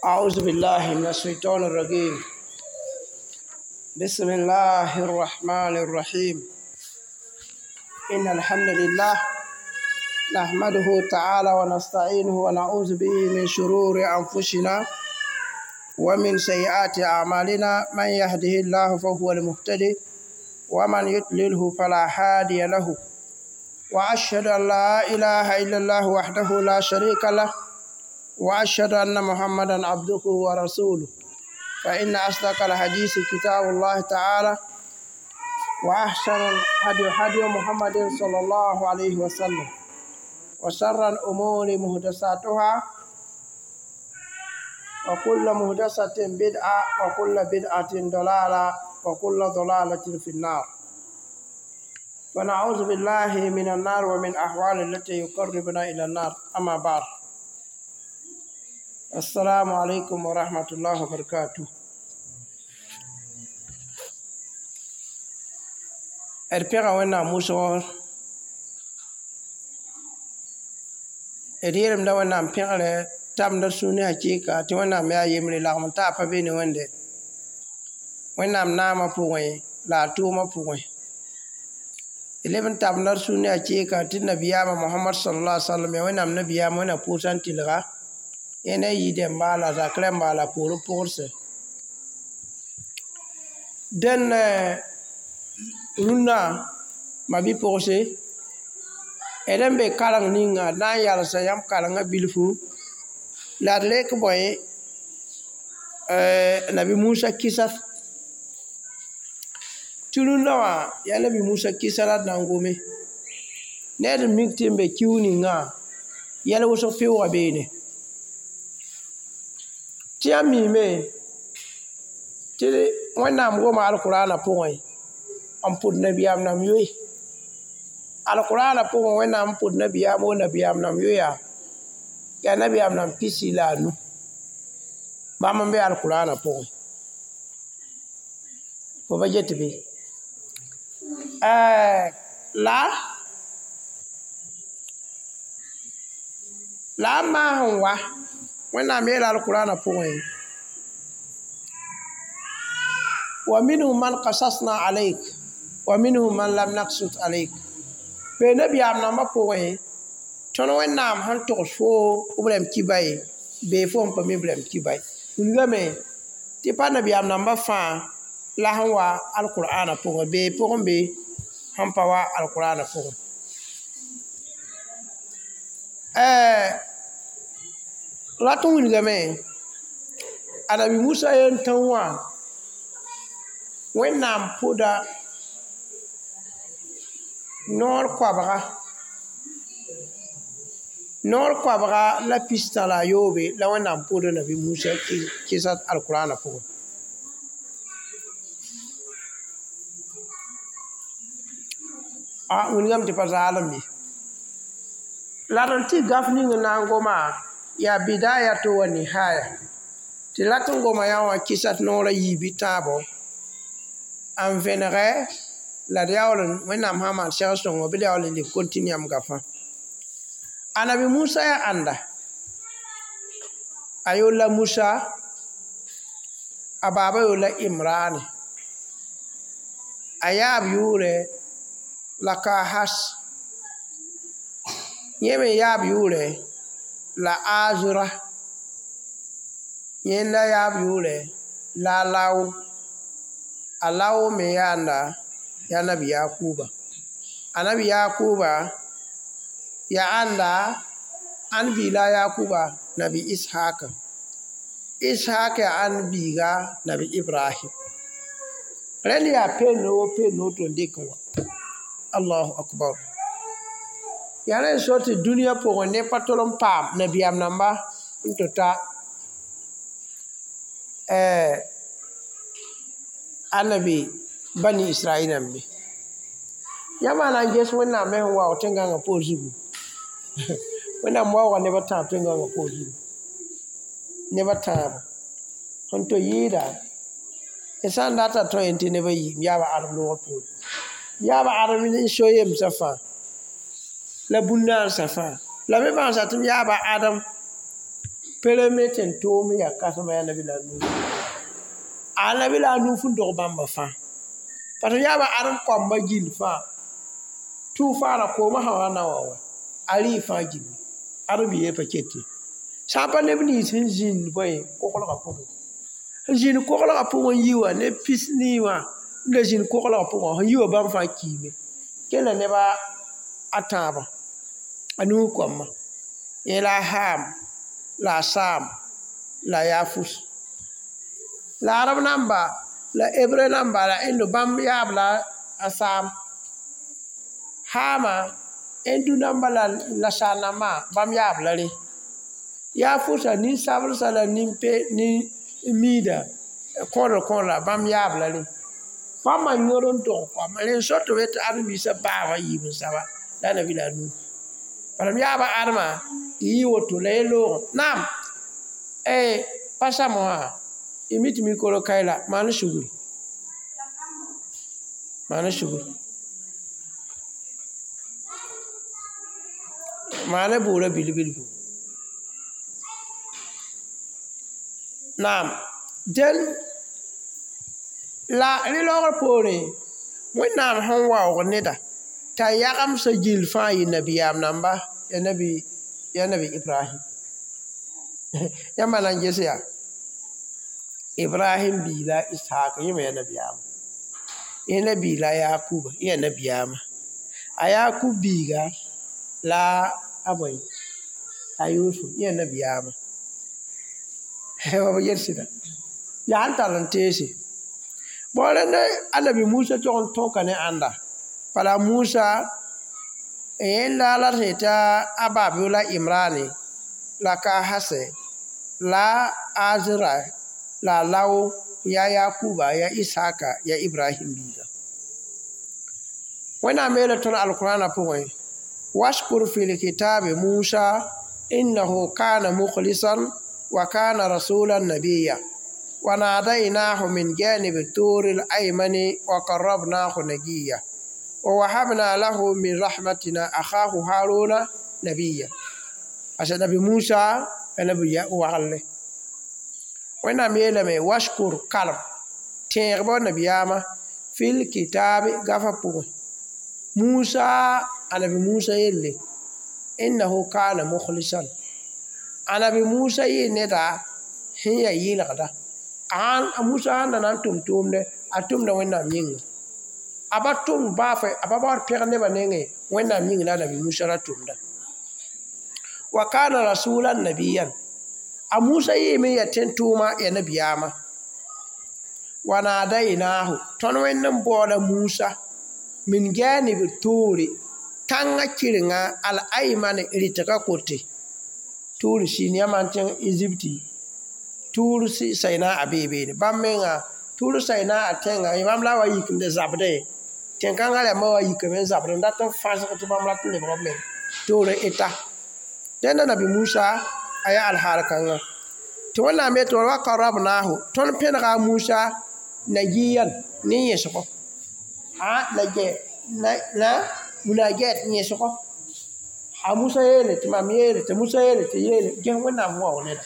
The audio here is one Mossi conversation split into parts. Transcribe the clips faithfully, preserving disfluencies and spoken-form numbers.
أعوذ بالله من الشيطان الرجيم. بسم الله الرحمن الرحيم. إن الحمد لله نحمده تعالى ونستعينه ونعوذ به من شرور أنفسنا ومن سيئات أعمالنا، من يهده الله فهو المهتدي ومن يضلله فلا هادي له، وأشهد أن لا إله إلا الله وحده لا شريك له، وأشهد أن محمدا عبده ورسوله. فإن أصدق الحديث كتاب الله تعالى، وأحسن الهدي هدي محمد صلى الله عليه وسلم، وشر الأمور محدثاتها، وكل محدثة بدعة، وكل بدعة ضلالة، وكل ضلالة في النار. ونعوذ بالله من النار ومن أحوال التي يقربنا إلى النار. أما بعد، السلام عليكم ورحمة الله وبركاته. D pẽga Wẽnnaam wʋsgr, d yeelemda Wẽnnaam pẽgrɛ tabend d sũur ne hakɩɩka tɩ Wẽnnaam yaa yembre lagm n taa pa be ne Wẽnde Wẽnnaam naamã pʋgẽ la a tʋʋmã pʋgẽ. D leb n tabenda d sũur ne hakɩɩka tɩ nabiyaamã Mohamad sallallahu alaihi wasallam yaa Wẽnnaam nabiyaamã, Wẽnnaam pʋʋsã n tɩlga yẽ ne a yidẽmba la a zak rãmba la a poorẽ pʋgdse. Dẽn rũnnã ma-bi-pʋgse, d n be kareng ninga d na n yalsa yãmb karengã bilfu la d rek bõe Nabi Musa kɩsat tɩ rũnnã wã yaa Nabi Musa kɩsa la d na n gome ne d mik tɩ n be kiu ningã yɛl wʋsg pɩʋʋga beene. Tɩ yãmb miime tɩ Wẽnnaam goma alkʋraanã pʋgẽ n pʋd nabiyaam nam yoe. Alkʋraanã pʋgẽ Wẽnnaam n pʋd nabiyaam wo nabiyaam nam yoeya yaa nabiyaam nam pisi la a nu. Bãmb n be alkʋraanã pʋgẽ. Fo pa get bɩ? La la a maas n wa Wẽnnaam yeela alkʋraanã pʋgẽ wa minhum man qasasna alayk wa minhum man lam naqsus alayk. Bee nabiyaam nambã pʋgẽ tõnd Wẽnnaam sẽn togs foo b rãmb kiba ye bee fo sẽn pa mi b rãmb kiba ye. Wilgame tɩ pa nabiyaam nambã fãa la sẽn wa alkʋraanã pʋgẽ bee pʋgẽ be sẽn pa wa alkʋraanã pʋgẽ. Rat n wilgame a Nabi Musa yen tão wã Wẽnnaam pʋda noor koabga noor koabga la pistã la a yoobe la Wẽnnaam pʋda Nabi Musa kɩsa alkʋraanã pʋgẽ. A wilgame tɩ pa zaalem ye. La d n tɩ gaf ning n na n goma yaa bidayatu wa nihaya tɩ rat n goma yã wã kɩsat noor a yiib tãabo n vẽnegɛ la d yaool Wẽnnaam sã n maan segl sõngo bɩ d yaool n leb kontinu yãmb gafã. A Nabi Musa yaa ãnda a yool la Musa, a baaba yool la Imrane, a yaab yʋʋrɛ la Kahas, yẽ me yaab yʋʋrɛ la Azra, yẽnda yaab yʋʋrɛ la Alawo, Alawo me yaanda yaa Nabi Yakuba. A Nabi Yakuba yaa ãnda ãn biig la a Yakuba Nabi Ishaka. Ishak yaa ãn biiga Nabi Ibrahim. Rẽnd yaa peen wo peen woto n dɩk n wa. Allahu akbar. Yaa rẽ n so tɩ dũniyã pʋgẽ neb pa tol n paam nabiyaam namba n tɩ ta a nabi bani Israɛl nãmbe. Yãmb na n ges Wẽnnaam me sẽn waoog tẽn-gãngã poor zugu. Wẽnnaam waooga neb a tãab tẽn-gãngã poor zugu. Neb a tãabo. Sẽn to yɩɩda d sã n data tõe tɩ neb a yiim yaaba Adem loogr poore. Yaaba Adem n so yemsã fãa la bũn-naansã fãa. La me bãngsa tɩ m yaaba Adem Pereme tẽn toom yaa kãsema yaa nabi la Nuh. A nabi la Nuh sẽn dog bãmba fãa. Parce que yaaba adem koamba gill fãa. Tʋʋfaana koomã sã wa na wa wa. A rɩɩ fãa gilli. Adem biiga pa ket ye. Sã n pa neb nins sẽn zĩnd bõe koglgã pʋgẽ. Sẽn zĩnd koglgã pʋgẽ n yi wã neb pis nii wã n da zĩnd koglgã pʋgã sẽn yi wã bãmb fãa kiime. Kela neba a tãabã a Nuh koamã. Yẽ la a Ham la a Sam la a Yafus. La arab namba la Hebreu namba la Indo bãmb yaab la a Sam. Hama Hindu namba la la Sa nambã bãmb yaab la rẽ. Yafusa nin-sablsã la nin-pe nin-miidã kõodr kõodra bãmb yaab la rẽ. Bãmba yõd n dog koamã rẽ n so tɩ b yetɩ ãdem-biisã baaba yiib n saba la nabi la Nuh. Bala m yaaba adema tɩ yɩ woto la ye loogẽ. Naam, eh, pa samo wã y mi tɩ mikro kae la maan sugri. Maan sugri. Maan bʋʋra bil-bilfu. Naam, dẽn la rẽ laoogr poorẽ Wẽnnaam sẽn waoog neda t'a yagemsã gill fãa yɩ nabiyaam namba ya nabi ya nabi Ibrahim. Yãmba na n ges yaa Ibrahim bii la Ishaq yẽ me ya nabiyaama. Yẽ la bii la Yakuba yẽ ya nabiyaama. A Yakub biiga la a bõe a Yusuf yẽ ya nabiyaama. B yel sɩda yaa n tar n teese. Bõ rẽnd a nabi Musa tog n tõka ne ãnda. Bala Musa yẽnda la sẽn yetɩ a baab la Imrane la ka Hase la Azra la Law ya Yakuba ya Ishaka ya Ibrahim biiga. Wẽnnaam yeela tõnd Alkurãana pʋgẽ washkur fil kitabi Musa innahu kana mukhlisan wa kana rasulan nabiyya wa nadainahu min janibi turi al-aymani wa qarrabnahu najiya wa wahabna lahu min rahmatina akhahu Haruna nabiyya. Asa nabi Musa nabi ya wagle. Wẽnnaam yeelame washkur kalem tẽegba nabiyaamã fil kitabi gafa pʋgẽ. Musa anabi Musa yelle innahu kana mukhlisan. Anabi Musa yɩ neda sẽn yaa yɩlgda. A Musa sãn da na n tʋm tʋʋmdɛ a tʋmda Wẽnnaam yĩnga. A ba tʋmd baafɛ a pa baood pẽgd nebã nengẽ Wẽnnaam yĩng la anabi Musa ra tʋmda. Wa kana rasulan nabiyan. A Musa yɩɩme n yaa tẽn-tʋʋma yaa nabiyaamã. Wa nadainahu tõnd Wẽnd n baooda Musa min janibi tuuri tãngã kɩrenga al-aymani rɩtgã kote. Tuuri siin yãmb n tẽng Ezipti tuur Saina a bee beene. Bãmb menga tuur Saina a tẽnga bãmb la wa yik n da zabdẽ. Tẽn-kãngã rãmbã wa yikame n zabd n dat n fãsg tɩ bãmb rat n lebg b meng toor n eta. Dẽnda nabi Musa a yaa alhaal kãngã. Tɩ Wẽnnaam yetɩ wa qarrabnahu tõnd pẽnega a Musa najiyan ne yẽsgo. A na na munajat yẽsgo. A Musa yeele tɩ mam yeele tɩ Musa yeele tɩ yeele ges Wẽnnaam waoog neda.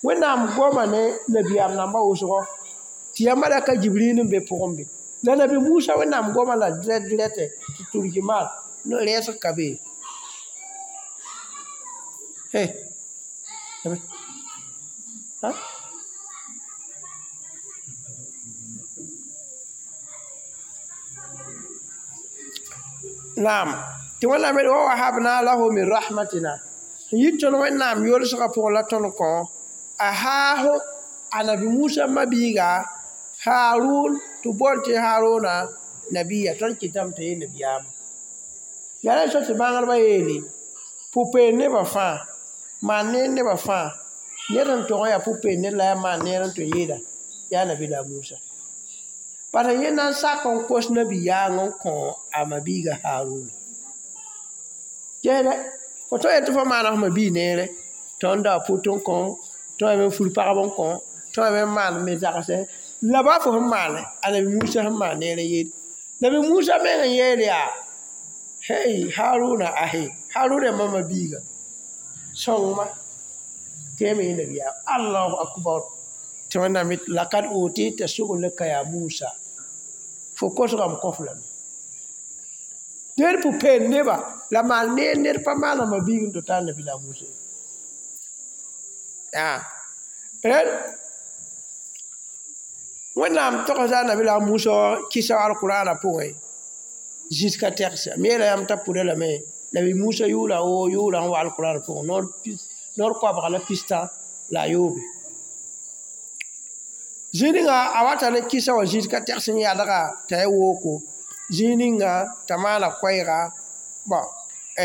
Wẽnnaam goma ne nabiyaam nambã wʋsgo tɩ yaa malaka Jibril n be pʋgẽ be. La nabi Musa Wẽnnaam goma la direct direct tɩ turjimaan rɛɛsg ka be. Hey. Ha? Naam. Tɩ Wẽnnaam yeel wa wahabna lahu min rahmatina. Yɩ tõnd Wẽnnaam yolsgã pʋgẽ la tõnd kõ a haaho anabi Musa ma-biiga Harun tɩ boond tɩ Haruna nabiya tõnd kɩtame tɩ yɩ nabiyaamã. Yaa rẽ so tɩ bãngdbã yeele pʋ-peend nebã fãa maan neer nebã fãa ned sẽn tog n yaa pʋ-peend ned la yaa maan neer n tɩ yɩɩda yaa nabi la Musa. Parce yẽ na n sak n kos nabi-yaang n kõ a ma-biiga Haruna. Gesdɛ fo tõe n yet tɩ fo maana f ma-biig neere tõnd da pʋt n kõ tõe me fur pagb n kõ tõe me n maan me zagsɛ la baa fo sẽn maane a nabi Musa sẽn maan neer n yeel. Nabi Musa meng n yeel yaa hey Haruna ahe Haruna yaa mama biiga sõng-ma Tẽeme yẽ nabiyaam Allahu akbar tɩ Wẽnnaam lakad utita su'laka ya Musa fo kosgame kõf lame dẽed pʋ-peend neba la maan neer ned pa maana ma biig n tɩ ta nabi la Musa yaa rẽd Wẽnnaam togsda nabi la Musa kɩsa alqurana pʋgẽ zĩs ka tɛgsa m yeela yãmb t'a pʋda lame nabi Musa yʋʋra woo yʋʋra n wa alqurana pʋgẽ noor koabga la pistã la a yoobe zĩig ninga a wata ne kɩsa wã zĩis ka tɛgs n yadga t'a ya wooko zĩig ninga t'a maana koɛɛga bɔn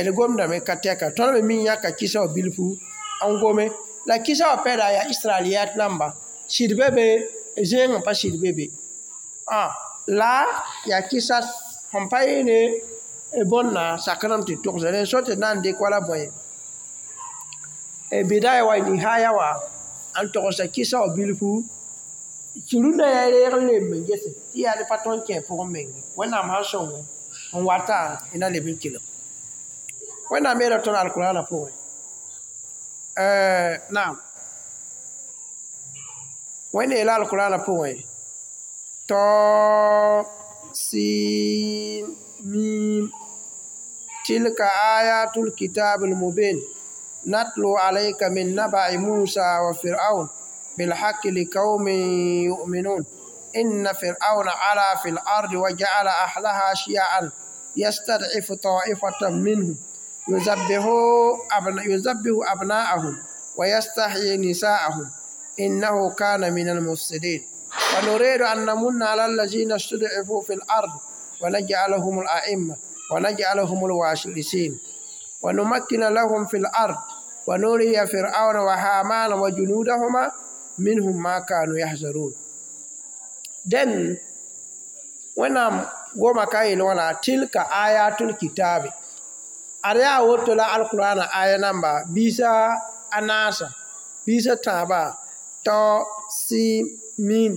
d gomdame ka tɛka tõnd me mi yãka kɩsa wã bilfu n gome la kɩsa wã pɛda yaa israeliyat namba sɩd be be zẽeng n pa sɩd be be la yaa kɩsa sẽn pa yeene bõnna sakrame tɩ togsa rẽn so tɩ d na n dɩk wala bõe bidaya wa nihaya wã n togsa kɩsa wã bilfu tɩ rũndã yaa reeg n lem n gese tɩ yaa ne pa tõnd kẽ pʋgẽ menge Wẽnnaam sãn sõnge n wata y na leb n kelg Wẽnnaam yeela tõnd alqurana pʋgẽ naam Wẽnd yeela alqurana pʋgẽ tɔ sin mim tilka ayatul kitabil mubin natlu alayka min naba'i Musa wa Fir'aun بالحق لقوم يؤمنون إن فرعون علا في الأرض وجعل أهلها شيعا يستضعف طائفة منهم يذبح أبنا يذبح أبناءهم ويستحيي نساءهم إنه كان من المفسدين ونريد أن نمن على الذين استضعفوا في الأرض ونجعلهم الأئمة ونجعلهم الوارثين ونمكن لهم في الأرض ونري فرعون وهامان وجنودهما منهم ما كانوا يحذرون den Wẽnnaam goma ka yel wãna tilka ayatul kitabi ad yaa woto la alqurana aya namba biisa a naasa biisa tãabã tao sin mim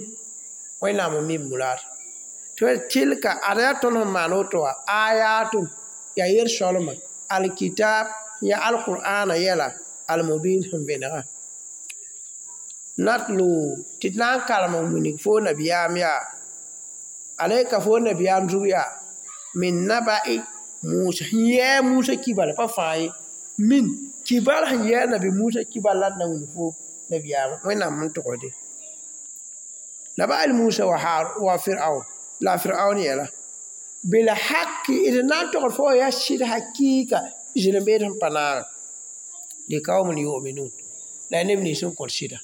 Wẽnnaam n mim muraad tɩ tilka ad yaa tõnd sẽn maan woto wã ayatun yaa yel-sõlma alkitab yaa alqur'ana yɛla almubin sẽn vẽnega natlu tɩ d na n karem n wilg fo nabiyaam yaa alayka fo nabiyaam zug yaa min naba'i Musa sẽn yɛɛ Musa kibal pa fãa ye min kibal sẽn yɛɛ nabi Musa kibal la d na wilg fo nabiyaam Wẽnnaam n togsde naba'il Musa wa wa Fir'aun la Fir'aun yɛla bil haqqi d na n togd fo yaa sɩd hakɩɩka zĩl-n-beed sẽn pa naag liqaumin yu'minun la neb nins n kõt sɩda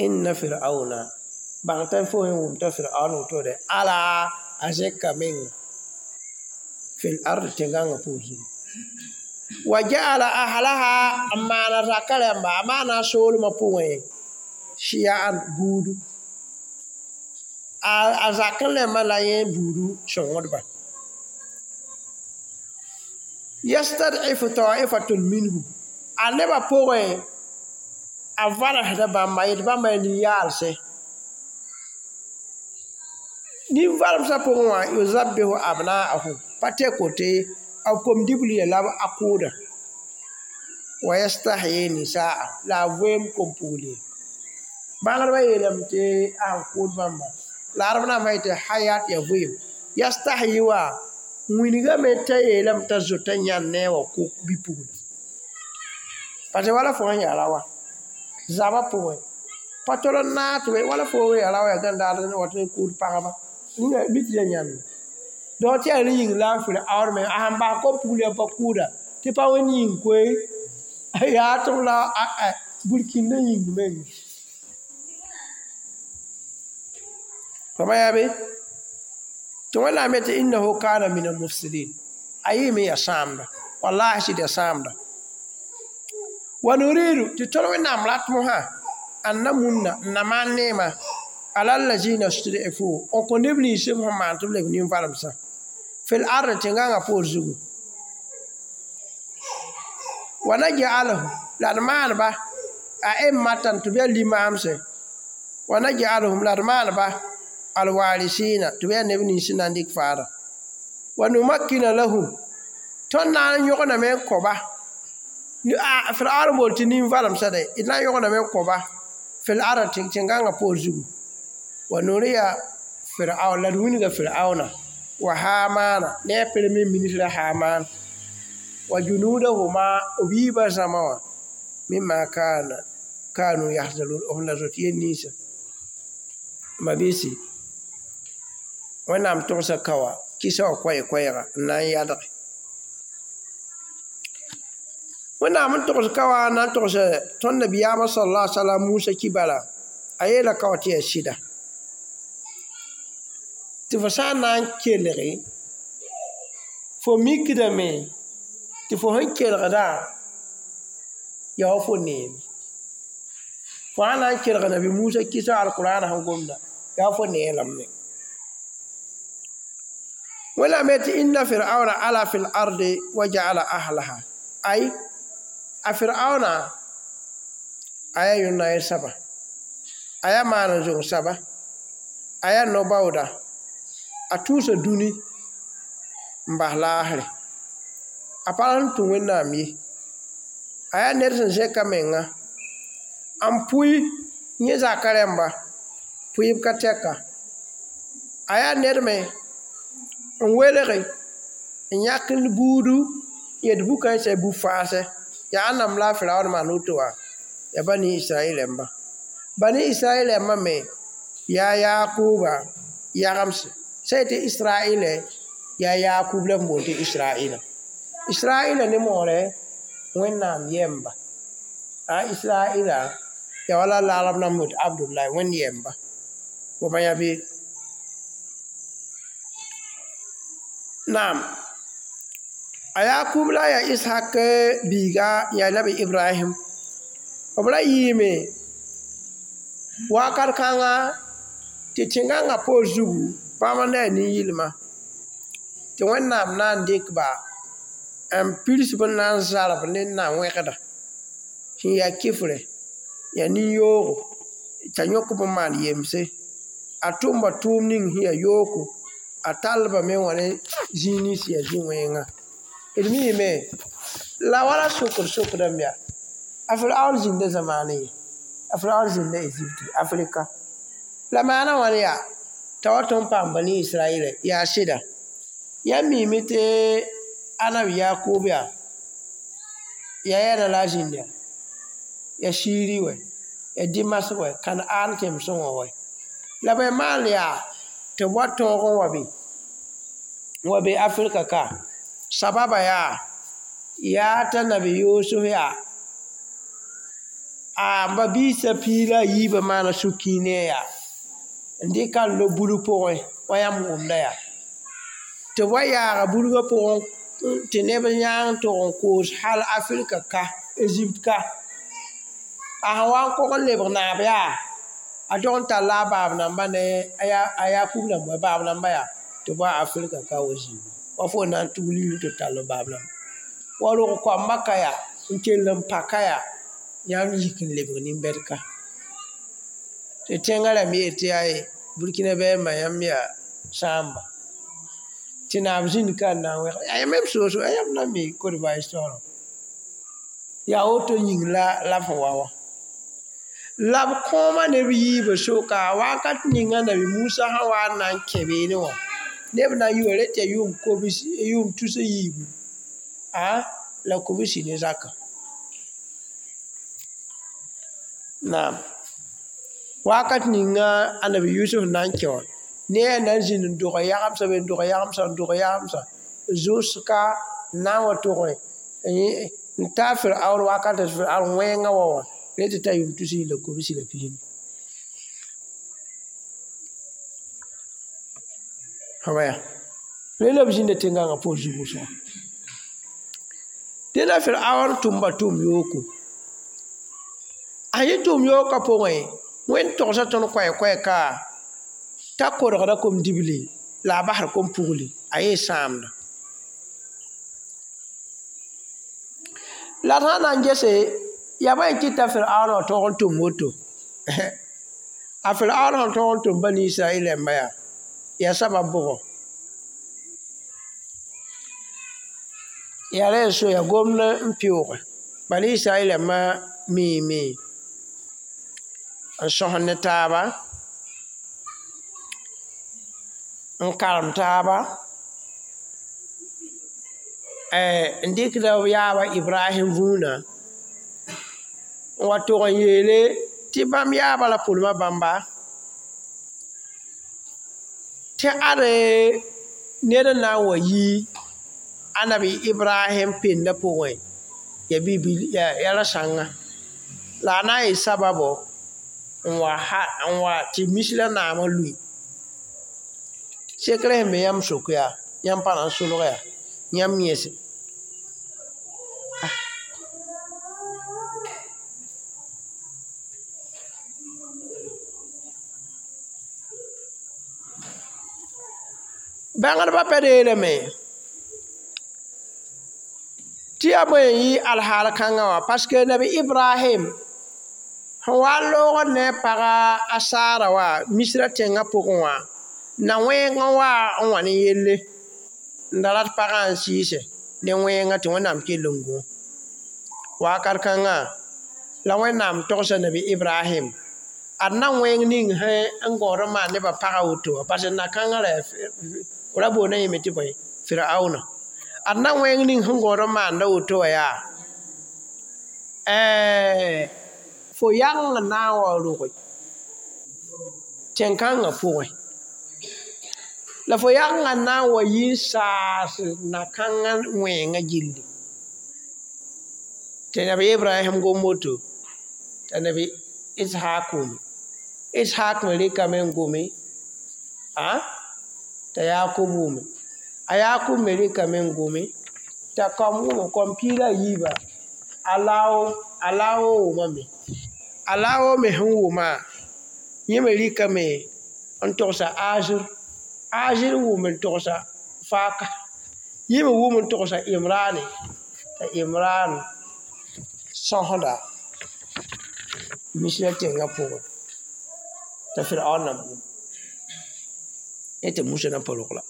inna fir'auna bãng t'a fo sẽn wʋm t'a fir'aun wotode ala a zẽka menga fil ard tẽngãngã pʋʋs zugu wa ja'ala ahlaha n maana raka rãmba a maana a soolmã pʋgẽ shiya'an buudu a zak n rẽmbã la yẽ buudu sõngdba yastad'ifu ta'ifatun minhum a nebã pʋgẽ a varesda bãmba yet bãmba yaa nin-yaalsẽ nin-varemsã pʋgẽ wã yuzabbihu abna'ahum pa tɛ kote b kom-dibli la a kʋʋda wa yastahyi nisaa la a voeem kom-pugli bãngdbã yeelame tɩ a sẽn kʋʋd bãmba la adb naam sã yetɩ hayat yaa voeem yastahyi wã wingame t'a yeelame t'a zota yãnd ne a wa kʋ bi-pugla parce wala fo sẽn yaa ra wa zaba pʋgẽ pa tol n naag tɩ wala fo yaa ra wa yaa gãndaad n wat n kʋʋd pagba ninga bɩ tɩ ya yãnd dao tɩ yaa rẽ yĩng la a Fir'aun me a sẽn bas kom-pugl yã pa kʋʋda tɩ pa wẽnd yĩng koe yaa tɩ b la burkĩndã yĩng meng fama yaa be tɩ Wẽnnaam yetɩ innahu kana min almufsidin a yɩɩme yaa sãamda wallahi sɩd yaa sãamda wa nuridu tɩ tõnd Wẽnnaam rat mosã an namunna n na maan neema ala allazina stud'ifu n kõ neb nins b sẽn maan tɩ b leb nin-varemsã fil ard tẽngãngã poor zugu wa naj'aluhum la d maanba a'immatan tɩ b yaa limaamse wa naj'aluhum la d maanba alwarisina tɩ b yaa neb nins n na n dɩk faada wa numakkina lahum tõnd na n yõgename n kõ-ba A Fir'aun bool tɩ nin-valemsã de d na n yõgdame n kõ-ba fil ard tẽn-gãngã poor zugu wa nuriya Fir'aun la d wilga Fir'auna wa Hamana ne a premier ministre Haman wa junudahuma b yiibã zãma wã mimma kana kanu yahzarun b na zoet yel ninsã mabiisi Wẽnnaam togsa ka wã kɩsa wã koɛɛ-koɛɛga n na n yadge Wẽnnaam n togs ka wã n na n togs tõnd nabiyaamã sallallahu alaihi wasallam Musa kibara a yeela ka wã tɩ yaa sɩda tɩ fo sã n na n kelge fo mikdame tɩ fo sẽn kelgdã yaa wa fo neeme fo sã n na n kelg nabi Musa kɩsa alkurãana sẽn gomda yaa wa fo nee lame Wẽnnaam yetɩ inna fir'auna ala fil ardi wa ja'ala ahlaha ay a fir'auna a yaa yõn-na saba a yaa maan zong saba a yaa no-baooda a tũusa dũni n bas laasre a pa sẽn tũ Wẽnnaam ye a yaa ned sẽn zẽk a menga n pʋɩ yẽ zaka rãmba pʋɩb ka tɛka a yaa ned me n welge n yãk buudu yet bu-kãensã bu-faasɛ yaa ãnnam la a Firaun maan woto wã yaa bani Israɛl rãmba bani Israɛl rãmbã me yaa Yakuba yagemse sã yetɩ Israɛlɛ yaa Yakub la b boond tɩ Israɛla Israɛla ne moorɛ Wẽnnaam yɛmba a Israɛla yaa wala laarb nan boond Abdullahi Wẽnd yɛmba fo bã yã bɩ naam a Yakub la yaa Ishak biiga yaa nabi Ibrahim b ra yɩɩme wakat kãnga tɩ tẽn-gãngã poor zugu bãmb n na yaa nin-yɩlma tɩ Wẽnnaam na n dɩk ba n pirs b na n zarb ne na-wẽgda sẽn yaa kɩfrɛ yaa nin-yoogo t'a yõk b n maan yemse a tʋmba tʋʋm ning sẽn yaa yooko a tall-ba me wã ne zĩig nins yaa zĩ-wẽnga d miime la wala sokd sokdame yaa a Firaun zĩnda zamaanẽ ye a Firaun zĩnda Ezipti Afrika la maana wãn yaa t'a wa tõnd paam bani Israɛlɛ yaa sɩda yãmb miime tɩ anabi Yakub yaa yaa yɛɛna la a zĩnd yaa yaa Siiri wɛ yaa Dimas wɛ Kanaan tẽmsẽ wã wɛ la bõe maan yaa tɩ b wa tõog n wa be n wa be Afrika ka sababa yaa yaa t'a nabi Yusuf yaa a ba biisã piig la a yiibã maana sũ-kiine yaa n dɩka n lob bulg pʋgẽ wa yãmb wʋmda yaa tɩ b wa yaaga bulgã pʋgẽ tɩ neb yãang tog n koos hal Afrika ka Ezipte ka a sẽn wa n kog n lebg naab yaa a tog n talla a baab namba ne a Yakub namba baab namba yaa tɩ b wa Afrika ka wa zĩigi wa fo na n tug ligd tɩ tall b baab namba wa rog koamba ka yaa n kell n pa ka yaa yãmb yik n lebg nin-bɛd ka tɩ tẽngã rãmb yeel tɩ yaa Burkina bɛɛmbã yãmb yaa sãamba tɩ naab zĩnd ka n na n wẽg yaa même soos yãmb na n mi Côte d'Ivoire histoire yaa woto yĩng la la b sẽn wa wã la b kõoma neb yiibã soka wakat ninga nabi Musa sẽn wa n na n kẽ beene wã neb na n yi wa reta yʋʋm kobs yʋʋm tus a yiibu a la kobsi ne zaka naam wakat ninga anabi Yusuf na n kẽ wã ne a na n zĩnd n dog yagemsã be n dog yagemsã n dog yagemsã zʋska n na n wa tog n ta Firaun wakat Firaun wẽngã wa wã reta t'a yʋʋm tus la kobsi la pisnu waya re la b zĩnda tẽn-gãngã poor zug wʋsgã dẽnda Firaun tʋmba tʋm yooko a yẽ tʋm yookã pʋgẽ Wẽnd togsa tõnd koɛɛ-koɛɛ ka t'a kodgda kom-dibli la a basd kom-pugli a yee sãamda la d sã n na n gese yaa bõe n kɩta Firaun wã tõog n tʋm woto a Firaun sẽn tõog n tʋm bani Israɛl rãmba yaa yaa sabab bʋgɔ yaa rẽ n so yaa gomd n pɩʋʋge Bani Israɛl ma miime n sõs ne taaba n karem taaba n dɩkda b yaaba Ibrahim vũuna n wa tog n yeele tɩ bãmb yaaba la pʋlma bãmba tɩ ade ned n na n wa yi Anabi Ibrahim penda pʋgẽ ya bibil ya ra-sãnga la a na n yɩ sababo n wa n wa tɩ misra naamã lʋɩ sekr sẽn be yãmb sok yaa yãmb pa na n solg yaa yãmb yẽse bãngdbã pa deelame tɩ yaa bõe n yɩ alhaal kãngã wã parce que Nabi Ibrahim sẽn wa n loogd ne a paga a Sara wã Misra tẽngã pʋgẽ wã na wẽng n wa n wa ne yelle n da rat pagã n sɩɩse ne wẽngã tɩ Wẽnnaam kell n gũ wakat kãngã la Wẽnnaam togsa Nabi Ibrahim ad na wẽng ning sẽn n gõod n maan nebã pagã woto wã parce que na-kãngã ra ra boonda yẽme tɩ bõe Firauna ad na wẽng ning sẽn gõod n maanda woto wã yaa fo yageng n na n wa roge tẽn-kãngã pʋgẽ la fo yagengã n na n wa yi n saas na-kãngã wẽengã gilli tɩ Nabi Ibrahim gom woto t'a Nabi Ishaq wʋme Ishaq me rɩkame n gome a t'a Yakub wʋme a Yakub me rɩkame n gome t'a kaom wʋme kaom piig la a yiiba a Lao a Lao wʋmame a Lao me sẽn wʋma yẽ me rɩkame n togsa Azir Azir wʋm n togsa Faaka yẽ me wʋm n togsa Imrane t'a Imran sõsda Misra tẽngã pʋgẽ t'a Firaun na bũmb yẽ tɩ Musa na pa rog la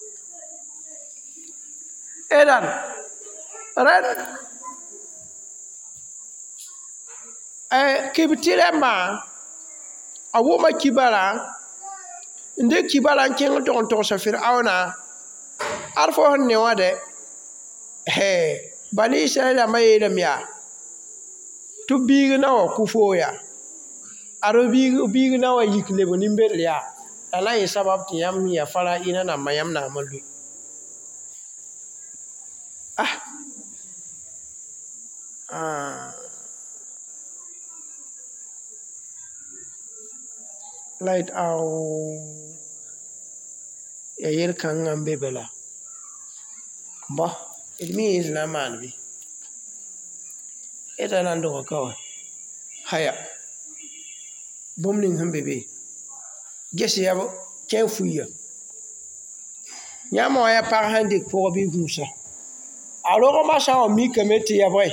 edan rẽnd kibti rãmbã a wʋma kibara n dɩk kibara n kẽng n tog n togsa Firauna ad fo sẽn ne wã dɛ Bani Israɛl rãmbã yeelame yaa tɩ b biig na wa kʋ foo yaa ad biig na wa yik lebg nin-bedr yaa la na n yɩ sabab tɩ yãmb sẽn yaa faraɩna nambã yãmb naam n lʋɩ ah light ao ya yel-kãngã n be be la bõ d mi d na n maan bɩ d ra na n dog ka wã haya bũmb ning sẽn be be ges ya kẽ fuiya yãmb wã yaa pag sẽn dɩk pʋg bɩ gũusa a rogmã sã n wa mikame tɩ ya bõe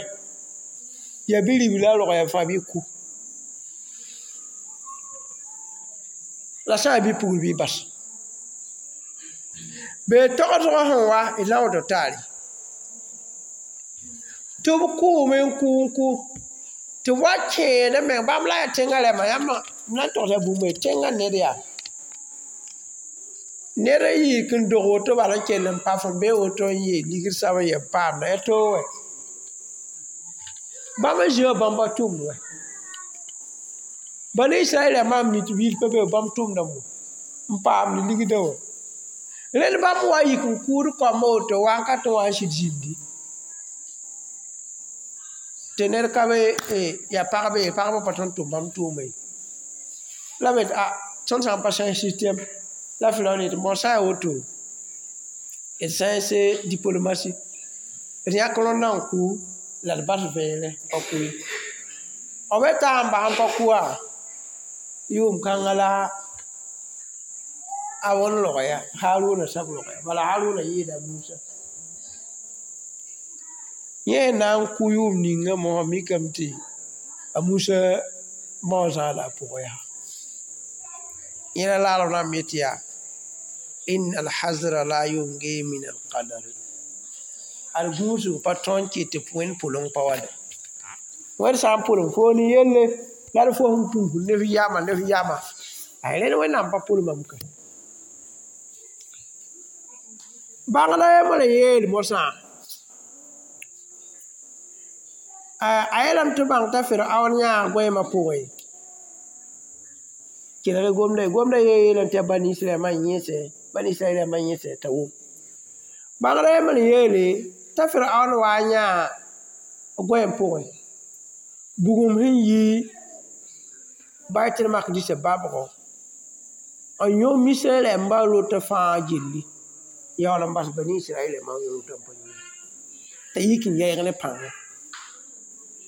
ya bi-ribla rog ya fãa bɩ ku la sã n yaa bi-pugl bɩ bas bee togsg sẽn wa d la n woto taare tɩ b kʋʋme n kʋ n kʋ tɩ b wa kẽed n meng bãmb la yaa tẽngã rɛma yãmb na n togsa bũmb ye tẽngã ned yaa ned n yik n dog woto bala n kell n pa fõm bee woto n yee ligd sab n yɛm paamda ya toog wɛ bãmb n zĩ wã bãmba tʋmd wɛ Bani Israɛl rãmbã n mi tɩ wil pa be bãmb tʋmdame n paamd ligdã wã rẽnd bãmb wa yik n kʋʋd kaombã woto wakat wã n sɩd zĩndi tɩ ned ka be yaa pagbe pagbã pa tõnd tʋm bãmb tʋʋma ye la me a tõnd sã n pa sãens système la Firaun yetɩ bõ sã n yaa woto d sãens diplomatie d yãk rõndã n kʋ la d bas vẽere pa kʋ ye b ta n bas n pa kʋ wã yʋʋm kãngã la a wõn rog ya Haruna sab rog ya bala Haruna yɩɩda Musa yẽ n na n kʋ yʋʋm ninga mosã mikame tɩ a Musa mao zãada a pʋgẽ yaa yẽ la laarb rãmb yetɩ yaa inna alhazra la yungi min alqadari ad gũusg pa tõe n kɩt tɩ wẽnd pʋleng pa wa dɛ Wẽd sã n pʋlem fo ne yelle la d fo sẽn pũusd ne f yama ne f yama ay rẽnd Wẽnnaam pa pʋlmame ka bãngda yembr n yeel mosã a yeelame tɩ bãng t'a Firaoon yãa goɛɛmã pʋgẽ kelg gomda gomda yee yeelame tɩ yaa Bani Israɛl ma yẽse Bani Israɛl ma yẽse t'a wʋm bãngda yembr n yeele t'a Firaoon wa n yãa goɛɛm pʋgẽ bugum sẽn yi Baitul Maqdis babgo n yõ misra rãmbã rot fãa gilli yaool n bas Bani Israɛl rãmbã rotã n pa yĩnga t'a yik n yɛɛg ne pãnga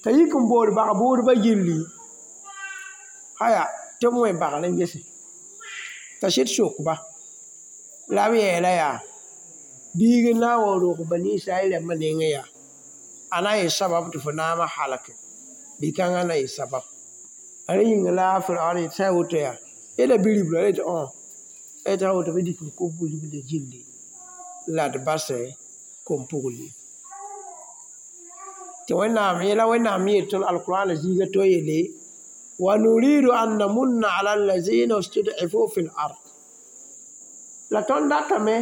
t'a yik n bood bag-bʋʋdbã gilli aya tɩ b wẽ bagr n gese t'a sɩd sokba la b yeela yaa biig n na n wa rog Bani Israɛl rãmbã nengẽ yaa a na n yɩ sabab tɩ fo naamã halke bi-kãngã na yɩ sabab rẽ yĩnga la a Firaoon yetɩ sã n woto yaa yela bi-ribla la yetɩ õ yetɩ sã woto bɩ dɩk n kʋ bi-ribla gilli la d basɛ kom-pugl ye tɩ Wẽnnaam yẽla Wẽnnaam yeel tõnd alkurãana zĩiga to yeele wa nuridu an namunna ala allazina stud'ifu fi l-ard la tõnd datame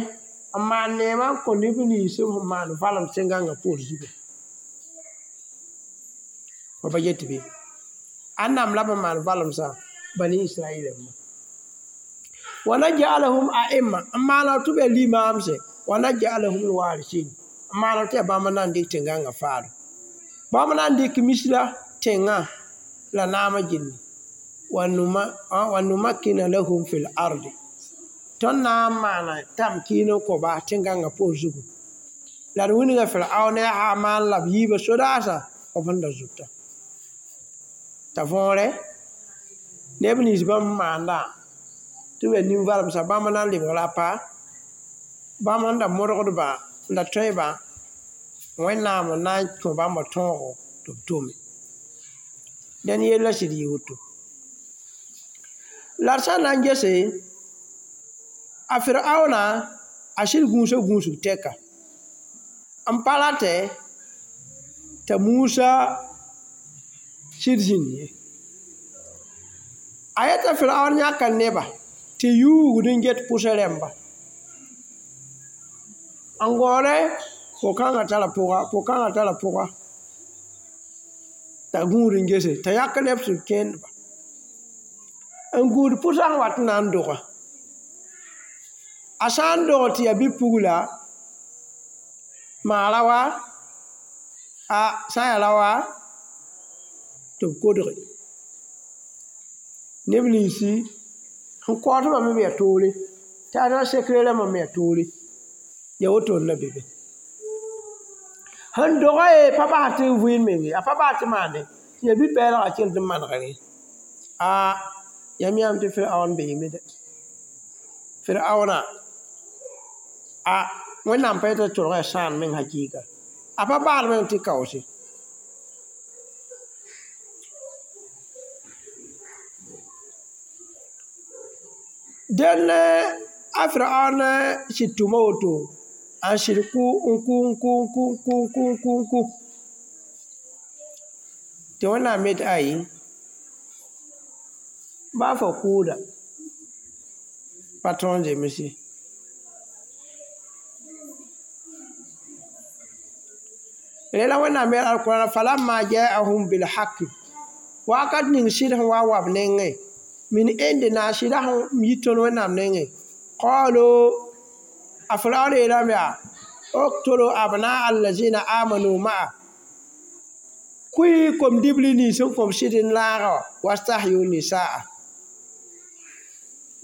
n maan neemã n kõ neb nins b sẽn maan valem tẽn-gãngã poor zugu fo pa get bɩ ãnnam la b sẽn maan valemsã Bani Israɛl rãmba wa naj'alahum a'imma n maana tɩ b yaa limaamse wa naj'alahum lwarisin n maana tɩ yaa bãmb n na n dɩk tẽn-gãngã faado bãmb na n dɩk misra tẽngã la naamã gilli wa numakkina lahum fi l-ardi tõnd na n maana tamkiin n kõ-ba tẽn-gãngã poor zugu la d wilga Firaoon ne a Haman la b yiibã sodaasã b sẽn da zʋta t'a võore neb nins bãmb sẽn maandã tɩ b yaa nin-valemsã bãmb na n lebg la pa bãmb sẽn da modgdbã n da tõebã Wẽnnaam n na n kõ bãmba tõogo tɩ b tome dẽn yella sɩd yɩ woto la d sã n na n gese a Firaoona a sɩd gũusa gũusg tɛka n pa ratɛ t'a Musa sɩd zĩnd ye a yeta Firaoon yãka neba tɩ yuugd n get pʋsã rãmba n gõore po-kãngã tara pʋga po-kãngã tara pʋga t'a gũud n gese t'a yãk neb sẽn kẽndba n gũud pʋsã sẽn wat n na n doga a sã n dog tɩ yaa bi-pugla maara wa a sã n yaa ra wa tɩ b kodge neb ninsi sẽn kaoodbã me yaa toore tɩ a na sekre rãmbã me yaa toore yaa woto n na be be sẽn doga ye pa bas tɩ vɩɩnd meng ye a pa bas tɩ maande tɩ yaa bi-pɛɛlgã kell tɩ manegre a yãmb yãmb tɩ Firaoon beeme dɛ Firaoona a Wẽnnaam pa yetɩ tʋlga yaa sãan meng hakɩɩka a pa baal meng tɩ kaoose dẽn a Firaoon sɩd tʋma woto n sɩd kʋ n kʋ n kʋ n kʋ n kʋ n kʋ n kʋ n kʋ tɩ Wẽnnaam yetɩ ayi baa fo kʋʋda pa tõog n zems ye rẽ la Wẽnnaam yeel alkurãana falamma ja'ahum bilhaqi wakat ning sɩd sẽn wa n wa b nengẽ min indina sɩda sẽn yi tõnd Wẽnnaam nengẽ qalu a Firaoon yeelame yaa uktulu abnaa allazina amanu ma'a kʋɩ kom-dibli nins sẽn kõm sɩd n laaga wã wastahyu nisaa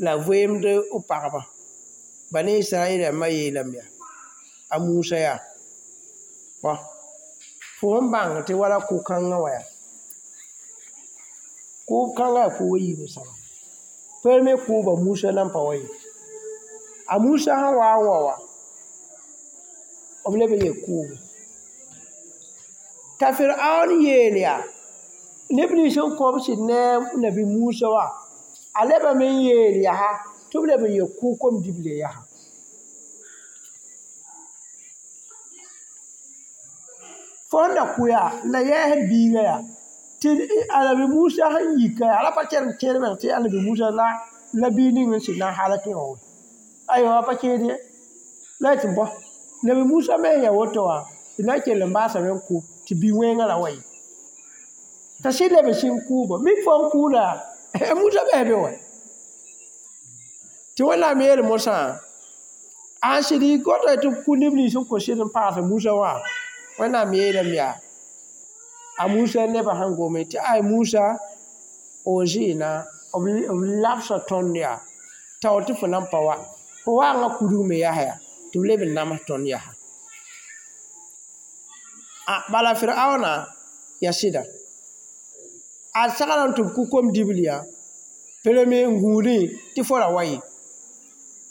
la voeemd b pagba Bani Israɛl rãmbã yeelame yaa a Musa yaa bõ fo sẽn bãng tɩ wala kʋ-kãngã wã yaa kʋʋb-kãngã yaa kʋʋb a yiib soaba premier kʋʋba Musa nan pa wa ye a Musa sẽn wa n wa wã b leb n yel kʋʋbe t'a Firaoon yeel yaa neb nins sẽn kõb sɩd ne nabi Musa wã a lebame n yeel yaa tɩ b leb n yel kʋ kom-dible yaa fo sẽn da kʋ yaa n da yɛɛsd biigã yaa Tɩ Anabi Musa sẽn yika yaa pa kẽrem kẽer meng tɩ Anabi Musa la la biig ning n sɩd na n halk wã aywa pa kẽed ye la y tɩ bõ Nabi Musa me sẽn yaa woto wã tɩ na n kell n baasame n kʋ tɩ bi-wẽngã ra wa ye t'a sɩd leb n sɩng kʋʋbã mik fo n kʋʋda Musa bɩ be wa tɩ Wẽnnaam yeel mosã a n sɩd y gota tɩ b kʋ neb nins n kõ sɩd n paas Musa wã Wẽnnaam yeelame yaa a Musa nebã sẽn gome tɩ ay Musa o zɩɩna b labsa tõnd yaa tao tɩ fo nan pa wa fo waanga kudg me yaa yaa tɩ b leb n nams tõnd yaa a bala Firaona yaa sɩda a sagla tɩ b kʋ kom-dibl yaa premier n gũudẽ tɩ fo ra wa ye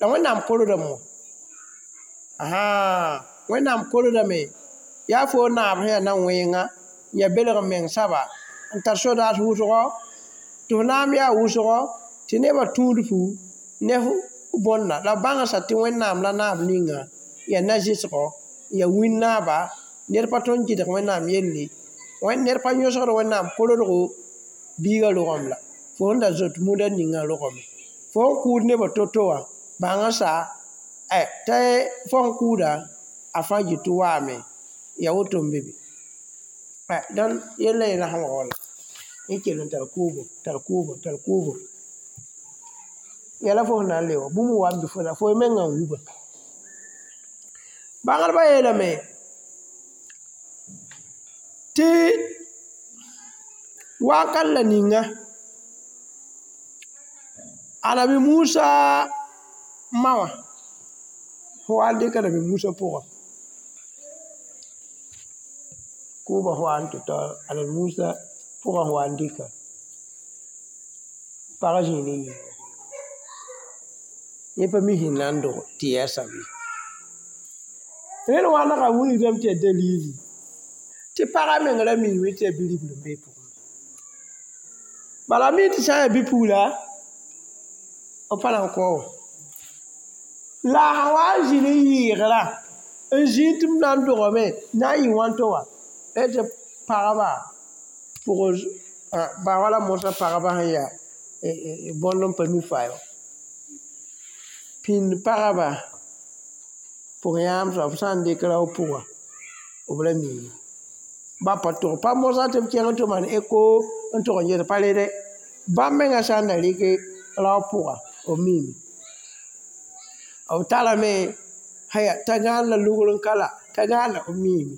la Wẽnnaam korodame wã ãhã Wẽnnaam korodame yaa fo naab sẽn yaa na wẽnga n yaa belg n meng saba n tar sodaas wʋsgo tɩ f naam yaa wʋsgo tɩ nebã tũud fu ne f bõnda la b bãngsa tɩ Wẽnnaam la naab ninga yaa na-zɩsgɔ yaa wĩn-naaba ned pa tõnd gɩdg Wẽnnaam yelle ned pa yõsgd Wẽnnaam korodgo biigã rogem la fo sẽn da zoet muda ninga rogame fo n kʋʋd nebã to-to wã bãng sa tɩ fo sẽn kʋʋda a fãa yɩ tɩ waame yaa woto n be be dõn yella yẽla sẽn wa wala yẽ kell n tar kʋʋbo tar kʋʋbo tar kʋʋbo yɛla fo sẽn na n le wã bũmb wa n bɩ fo la fo mengã n wuba bãngdbã yeelame tɩ wakat la ninga Anabi Musa ma wã wa n dɩk Anabi Musa pʋgã kʋʋbã wa n tɩ tao Anabi Musa pʋgã wa n dɩka pag zĩig ne yĩnga yẽ pa mi sẽn na n dog tɩ yaa sabe rẽnd wãnega wilgdame tɩ yaa dalili tɩ pagã meng ra miime tɩ yaa bi-ribl n be pʋgẽ bala mi tɩ sã n yaa bi-pugla b pa na n kao wã la a sã wa n zĩ ne yɩɩgrã n zĩ tɩ b na n dogame na n yɩ wãnto wã tɩ pagba pʋg ba wala mosã pagba sẽn yaa bõnd n pa mi faa wã pĩnd pagba pʋg yãam soab sã n dɩk rao pʋga b ra miime ba pa tog pa mosã tɩ b kẽng tɩ maan eko n tog n ges pa rede bãmb mengã sã n da rɩk rao pʋga b miime b tarame haya t'a gãan la lugr n ka la t'a gãan la b miime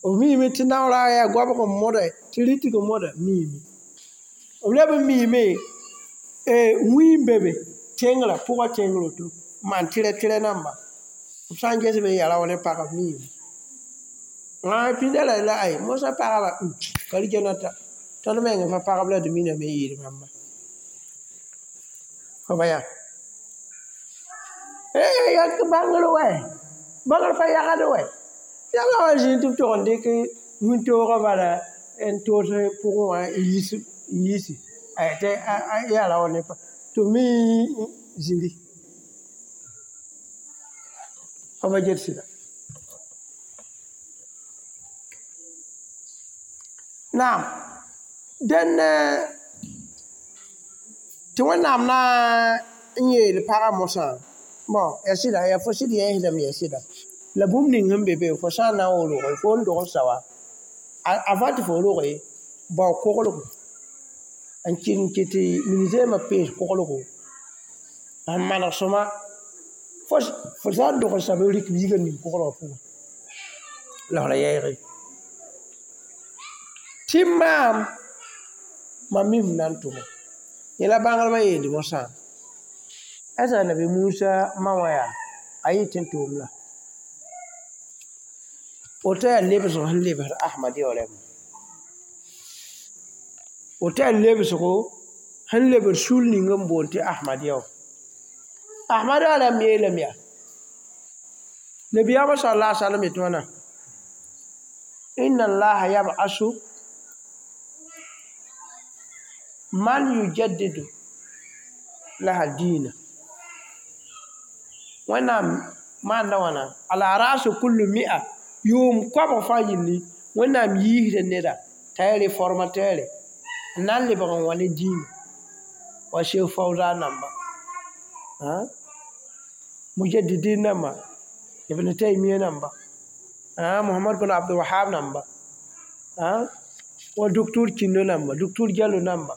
b miime tɩ naoora yaa goabg n moda tɩ rɩtg n moda miime b leb n miime wĩig n be be tẽngrã pʋgã tẽngr woto n maan tɩrɛ tɩrɛ namba b sã n ges be n yaa rao ne pagã b miime pĩnda la la ay mosã pagba ka rɩ-gɛnata tõnd meng fa pagb la d miname n yɩɩd bãmba fo ba yaa yaa bãngr wɛ bãngr pa yagd wɛ yãmb wa zĩig tɩ b tog n dɩk wĩntoogã bala n toos pʋgẽ wã n yiisi tɩ yaa rao ne tɩ b me zĩri fo ba get sɩda naam dẽn tɩ Wẽnnaam na n yeel pagã mosã bon yaa sɩda yaa fo sɩd yẽesdame yaa sɩda la bũmb ning sẽn be be fo sã n na n wa roge fo n dog n sa wã avant tɩ fo roge bao koglgo n kɩt n kɩt tɩ ministɛɛmã pees koglgo n maneg sõma fo sã n dog n sa b rɩk biigã ning koglgã pʋgẽ la f ra yɛɛge tɩ maam mam mi f na n tʋma yẽla bãngdbã yeelde mosã asa Nabi Musa ma wã yaa a yɩ tɩ n tʋʋm la woto yaa lebsg sẽn lebsd Ahmadiya rãmb woto yaa lebsgo sẽn lebd sul ning n boond tɩ Ahmadiya wã Ahmadiya rãmb yeelame yaa Nabiyaamã sal-la alaihi wasallam yetɩ wãna inna allaha yab'asu man yujaddidu laha diina Wẽnnaam maanda wãna ala rasu kullu mi'a yʋʋm koabg fãa yilli Wẽnnaam yiisda neda T'a réformateur n na n lebg n wa ne dĩinã wa Cheikh Fawzan namba mujaddidin namba Ibn Taymiyyah namba Muhammad bin Abdul Wahab namba wa docteur Kindo namba docteur Diallo namba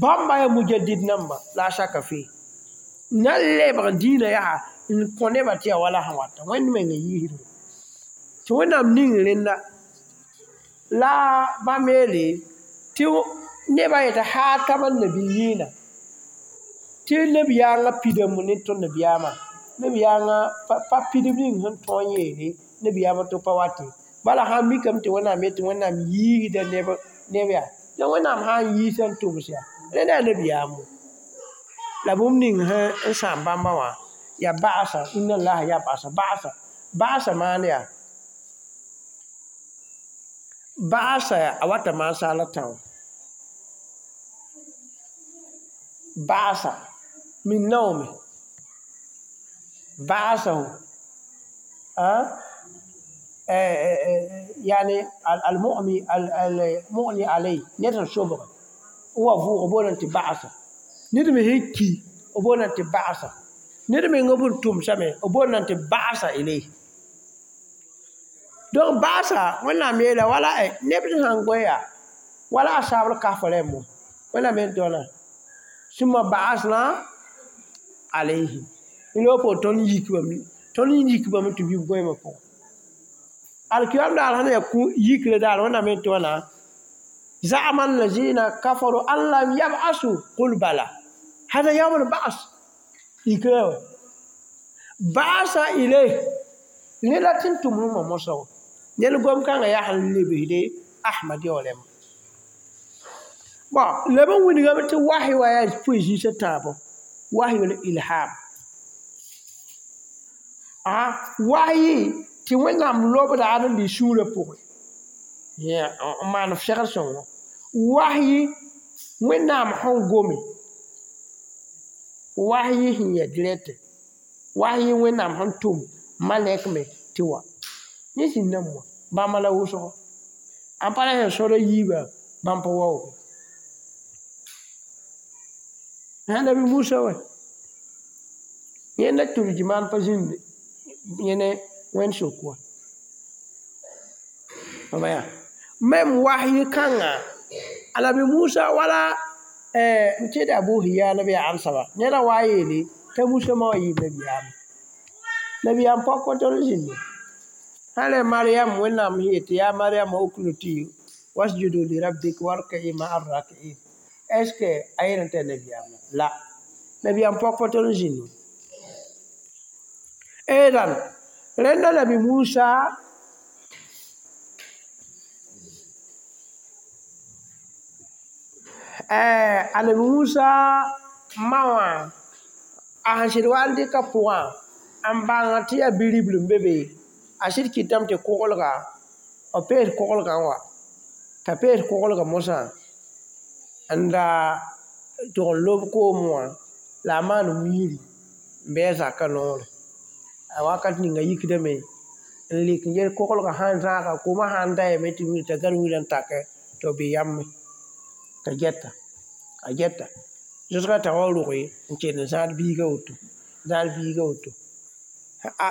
bãmba yaa mujaddid namba la shaka fi na n lebg dĩinã yaa n kõ nebã tɩ yaa wala sẽn wata Wẽnd mengã yiisdme tɩ Wẽnnaam ning rẽnda la bãmb yeele tɩ nebã yetɩ haatama nabiyiina tɩ nabiyaangã pidame ne tõnd nabiyaamã nabiyaangã pa pidb ning sẽn tõog n yeele nabiyaamã tɩ pa wate bala sãn mikame tɩ Wẽnnaam yetɩ Wẽnnaam yiisda neb neb yaa la Wẽnnaam sã n yiisa n tʋms yaa rẽnda yaa nabiyaamo la bũmb ning sẽn n sãam bãmba wã yaa ba'asa inna allaha yab'asa ba'asa ba'asa maan yaa ba'asa a wata maan saala tão ba'asa min naome ba'asahu yani al-mu'mi al-mu'ni alay ned sẽn sobg n wa vʋʋg b booname tɩ ba'asa ned me sẽn ki b booname tɩ ba'asa ned meng b n tʋmsame b booname tɩ ba'asa ilayh donc ba'asa Wẽnnaam yeela wala neb sãn goe yaa wala a saabr kaf rẽmbo Wẽnnaam yel tɩ wãna sũma ba'asna alayhim la po tõnd yikbame tõnd yikbame tɩ bɩ b goeemã pʋgẽ alkiyam daar sẽn yaa yikrã daar Wẽnnaam yel tɩ wãna زعم الذين كفروا أن لم يبعثوا قل بلى هذا يوم البعث يكرهوا بعث إليه نلا تنتم لما مصر نلقوم كان يحل لبه أحمد يولم bon لما ونغم وحي ويا بوزي ستابو وحي الإلهام ah وحي tɩ Wẽnnaam lobda ad n lɩ sũurã pʋgẽ n maan f segd sõngo wahyi Wẽnnaam sẽn gome wahyi sẽn yɛ direct wahyi Wẽnnaam sẽn tʋm malɛk me tɩ wa yẽ sĩn nan wã bãmba la wʋsgo n pa la sẽn sõda yiibã bãmb pa waooge Nabi Musa wa yẽnda turjimaan pa zĩnd yẽ ne Wẽnd sok wa même wahyi kãnga Anabi Musa wala n tẽed Abu Hiya b yaa amsaba neda wa yeele t'a Musa ma wa yɩɩm nabiyaamã nabiyaam pɔk pa tol n zĩnde sã rẽ Mariam Wẽnnaam sẽn yetɩ yaa Mariam uknuti wasjudu li rabbik warka'i ma'a raki'in est ce que a yel n t'a nabiyaamã la nabiyaam pɔk pa tol n zĩnde edan rẽnda Nabi Musa Anabi Musa ma wã a sẽn sɩd wa n dɩka pʋgã n bãng tɩ yaa bi-ribl n be be a sɩd kɩtame tɩ koglga b pees koglgã n wa t'a pees koglgã mosã n da tʋg n lob koomẽ wã la a maan wiiri n bɩ a zakã noore a wakat ninga yikdame n lik n yel koglgã sãn zãaga koomã sãn da yame tɩ wiiri t'a gãd wiirã n take tɩ b bɩ yame t'a gɛta a gɛta zʋsgã t'a wa rʋgɩ n kell n zãad biigã woto zãad biigã woto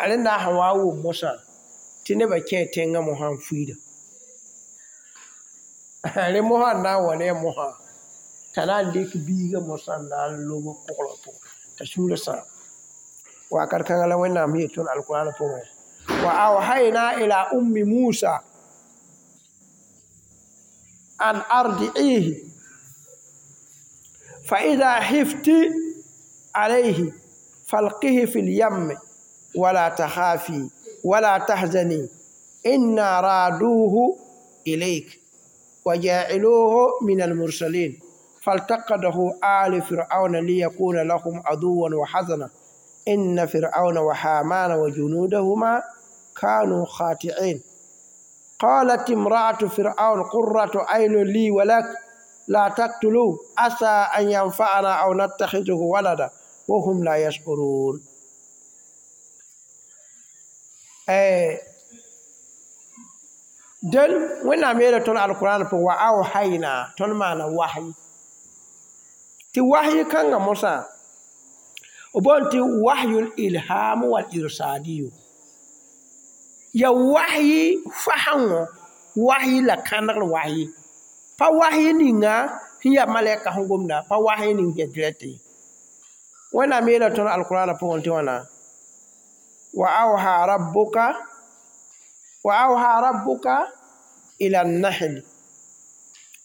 rẽnda sẽn wa n wʋm mosã tɩ nebã kẽ tẽngã mosã n fuiida rẽ mosã n na n wa ne a mosã t'a na n dɩk biigã mosã n na n lob koglgã pʋgẽ t'a sũurã sãam wakat kãngã la Wẽnnaam yet tõnd alkurãan pʋgẽ wa awhayna ila ummi Musa an ardi'ihi فإذا خفت عليه فالقه في اليم ولا تخافي ولا تحزني إنا رادوه إليك وجاعلوه من المرسلين فالتقطه آل فرعون ليكون لهم عدوا وحزنا إن فرعون وهامان وجنودهما كانوا خاطئين قالت امرأة فرعون قرة عين لي ولك لا تقتلوه عسى أن ينفعنا أو نتخذه ولدا وهم لا يشعرون Dẽn Wẽnnaam yeela tõnd alquraan pʋgẽ wa awhayna tõnd maana wahyi tɩ wahyi kãngã mosã b boond tɩ wahyul ilham wal irsadiyu ya wahyi fasẽngo wahyi la kãnegr wahyi pa wahyi ninga sẽn yaa malɛka sẽn gomda pa wahyi ning sẽn yaa dirɛt ye Wẽnnaam yeela tõnd alquraan pʋgẽ tɩ wãna wa awha rabbuka wa awha rabbuka ila an-nahl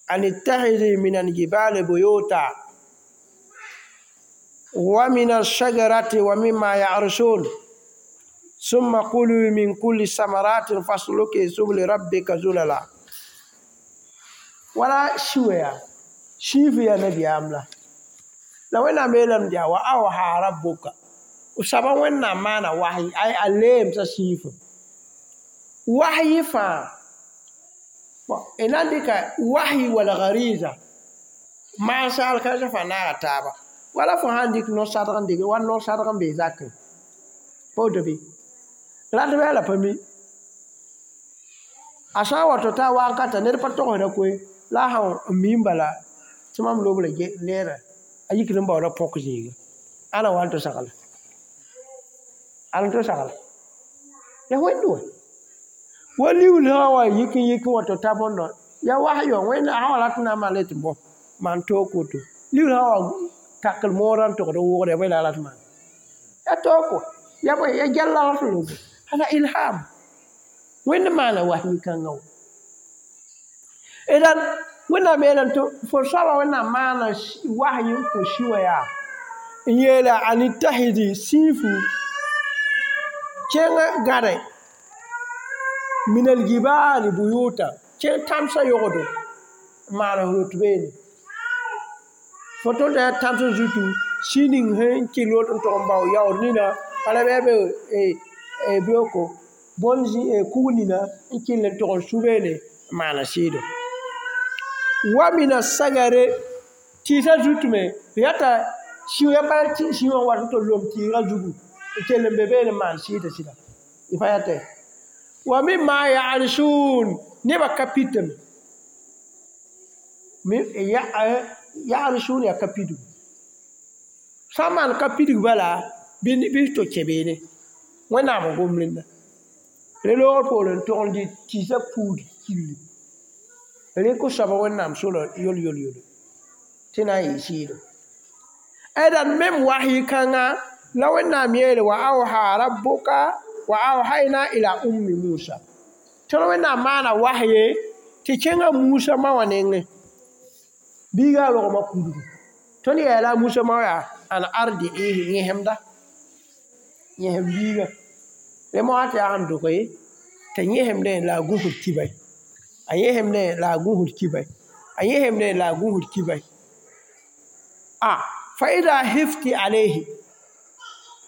an ittakhidhi min al-jibali buyuta wa min ash-shajarati wa mimma ya'rushun ثم كلوا من كل ثمرات فاسلكي سبل ربك ذللا wala shiwaya shifi ya nabiyaam la la Wẽnnaam yeelame tɩ yaa wa awha rabbuka soaba Wẽnnaam maana wahyi ay a leemsa siifã wahyi fãa d na n dɩka wahyi wal gariza maasa alkãensã fãa naaga taaba wala fo sã n dɩk no-sadg n dɩk wa no-sadg n bee zakẽ pa woto bɩ ratbã la pa mi a sã n wa tɩ ta wakata ned pa togsda koe la a sã n mi n bala tɩ mam lobra leera a yikd n baooda põk zĩiga ãna wa n tɩ sagla ãn tɩ sagla ya wẽnd wa wa liuul sã wa yik n yik n wa tɩ ta bõndã ya wahyo wẽnda sã wa rat n na n maan tɩ bõ maan toog woto liuul sã wa takl moorã n togd n wʋgd ya bõe la a rat maan ya toog ya bõe ya gɛl la rat lobo hada ilham wẽnd maana wahyi kãngã wã idan Wẽnnaam yeelame tɩ fo soaba Wẽnnaam maana wahyi n kõ si wã yaa n yeela an ittahidi siifu kẽng gãde min aljibali buyuta kẽng tãmsã yogdo n maan f rot beene fo tõnd t'a yaa tãmsã zutu si ning sẽn kell woto n tog n bao yaood nina bala bɩ be beooko bõn kug nina n kell n tog n su beene n maana sɩɩdo wa mina sagare tɩɩsã zutu me yata siʋ ya bala siʋ wã wat n tɩ lom tɩɩgã zugu n kell n be beene n maan sɩɩda sɩda y pa yatɛ wa mimma ya'risun nebã ka pitame ya'risun yaa ka pidgu sã n maan ka pidg bala bɩ to kẽ beene Wẽnnaam n gom rẽnda re loogr poore n tog n dɩ tɩɩsã puud killi rɩk soaba Wẽnnaam sora yol yol yolo tɩ na n yɩ sɩɩdo ɛdan mem wahyi kãngã la Wẽnnaam yeele wa awha rabbuka wa awhayna ila ummi Musa tõnd Wẽnnaam maana wahye tɩ kẽngã Musa ma wã nengẽ biiga a rogmã kudgu tõnd yeela a Musa ma yaa an ardi'ihi yẽsemda yẽsem biiga re moasã tɩ yaa sẽn dʋk ye t'a yẽsemdẽ la a gũsd kibay a yẽsemdẽ la a gũsd kibay a yẽsemdẽ la a gũsd kibay a fa ida hifti alayhi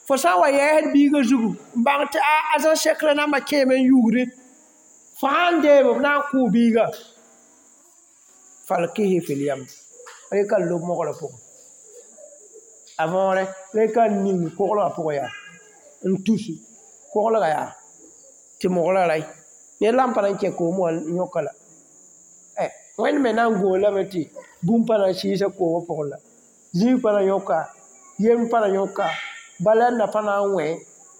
fo sã n wa yɛɛsd biigã zugu n bãng tɩ a a zã sekrã nambã kẽeme n yugde fo sãn deem b na n kʋʋ biiga falkihi fil yam reka n lob moglã pʋgẽ a võore reka n ning koglgã pʋgẽ yaa n tusi koglga yaa tɩ moglã ray ned la n pa na n kẽ koom wã n yõka la Wẽnd me na n goo lame tɩ bũmb pa na n sɩɩsa koomã pʋgẽ la zĩig pa na yõka yem pa na yõka balɛnda pa na n wẽ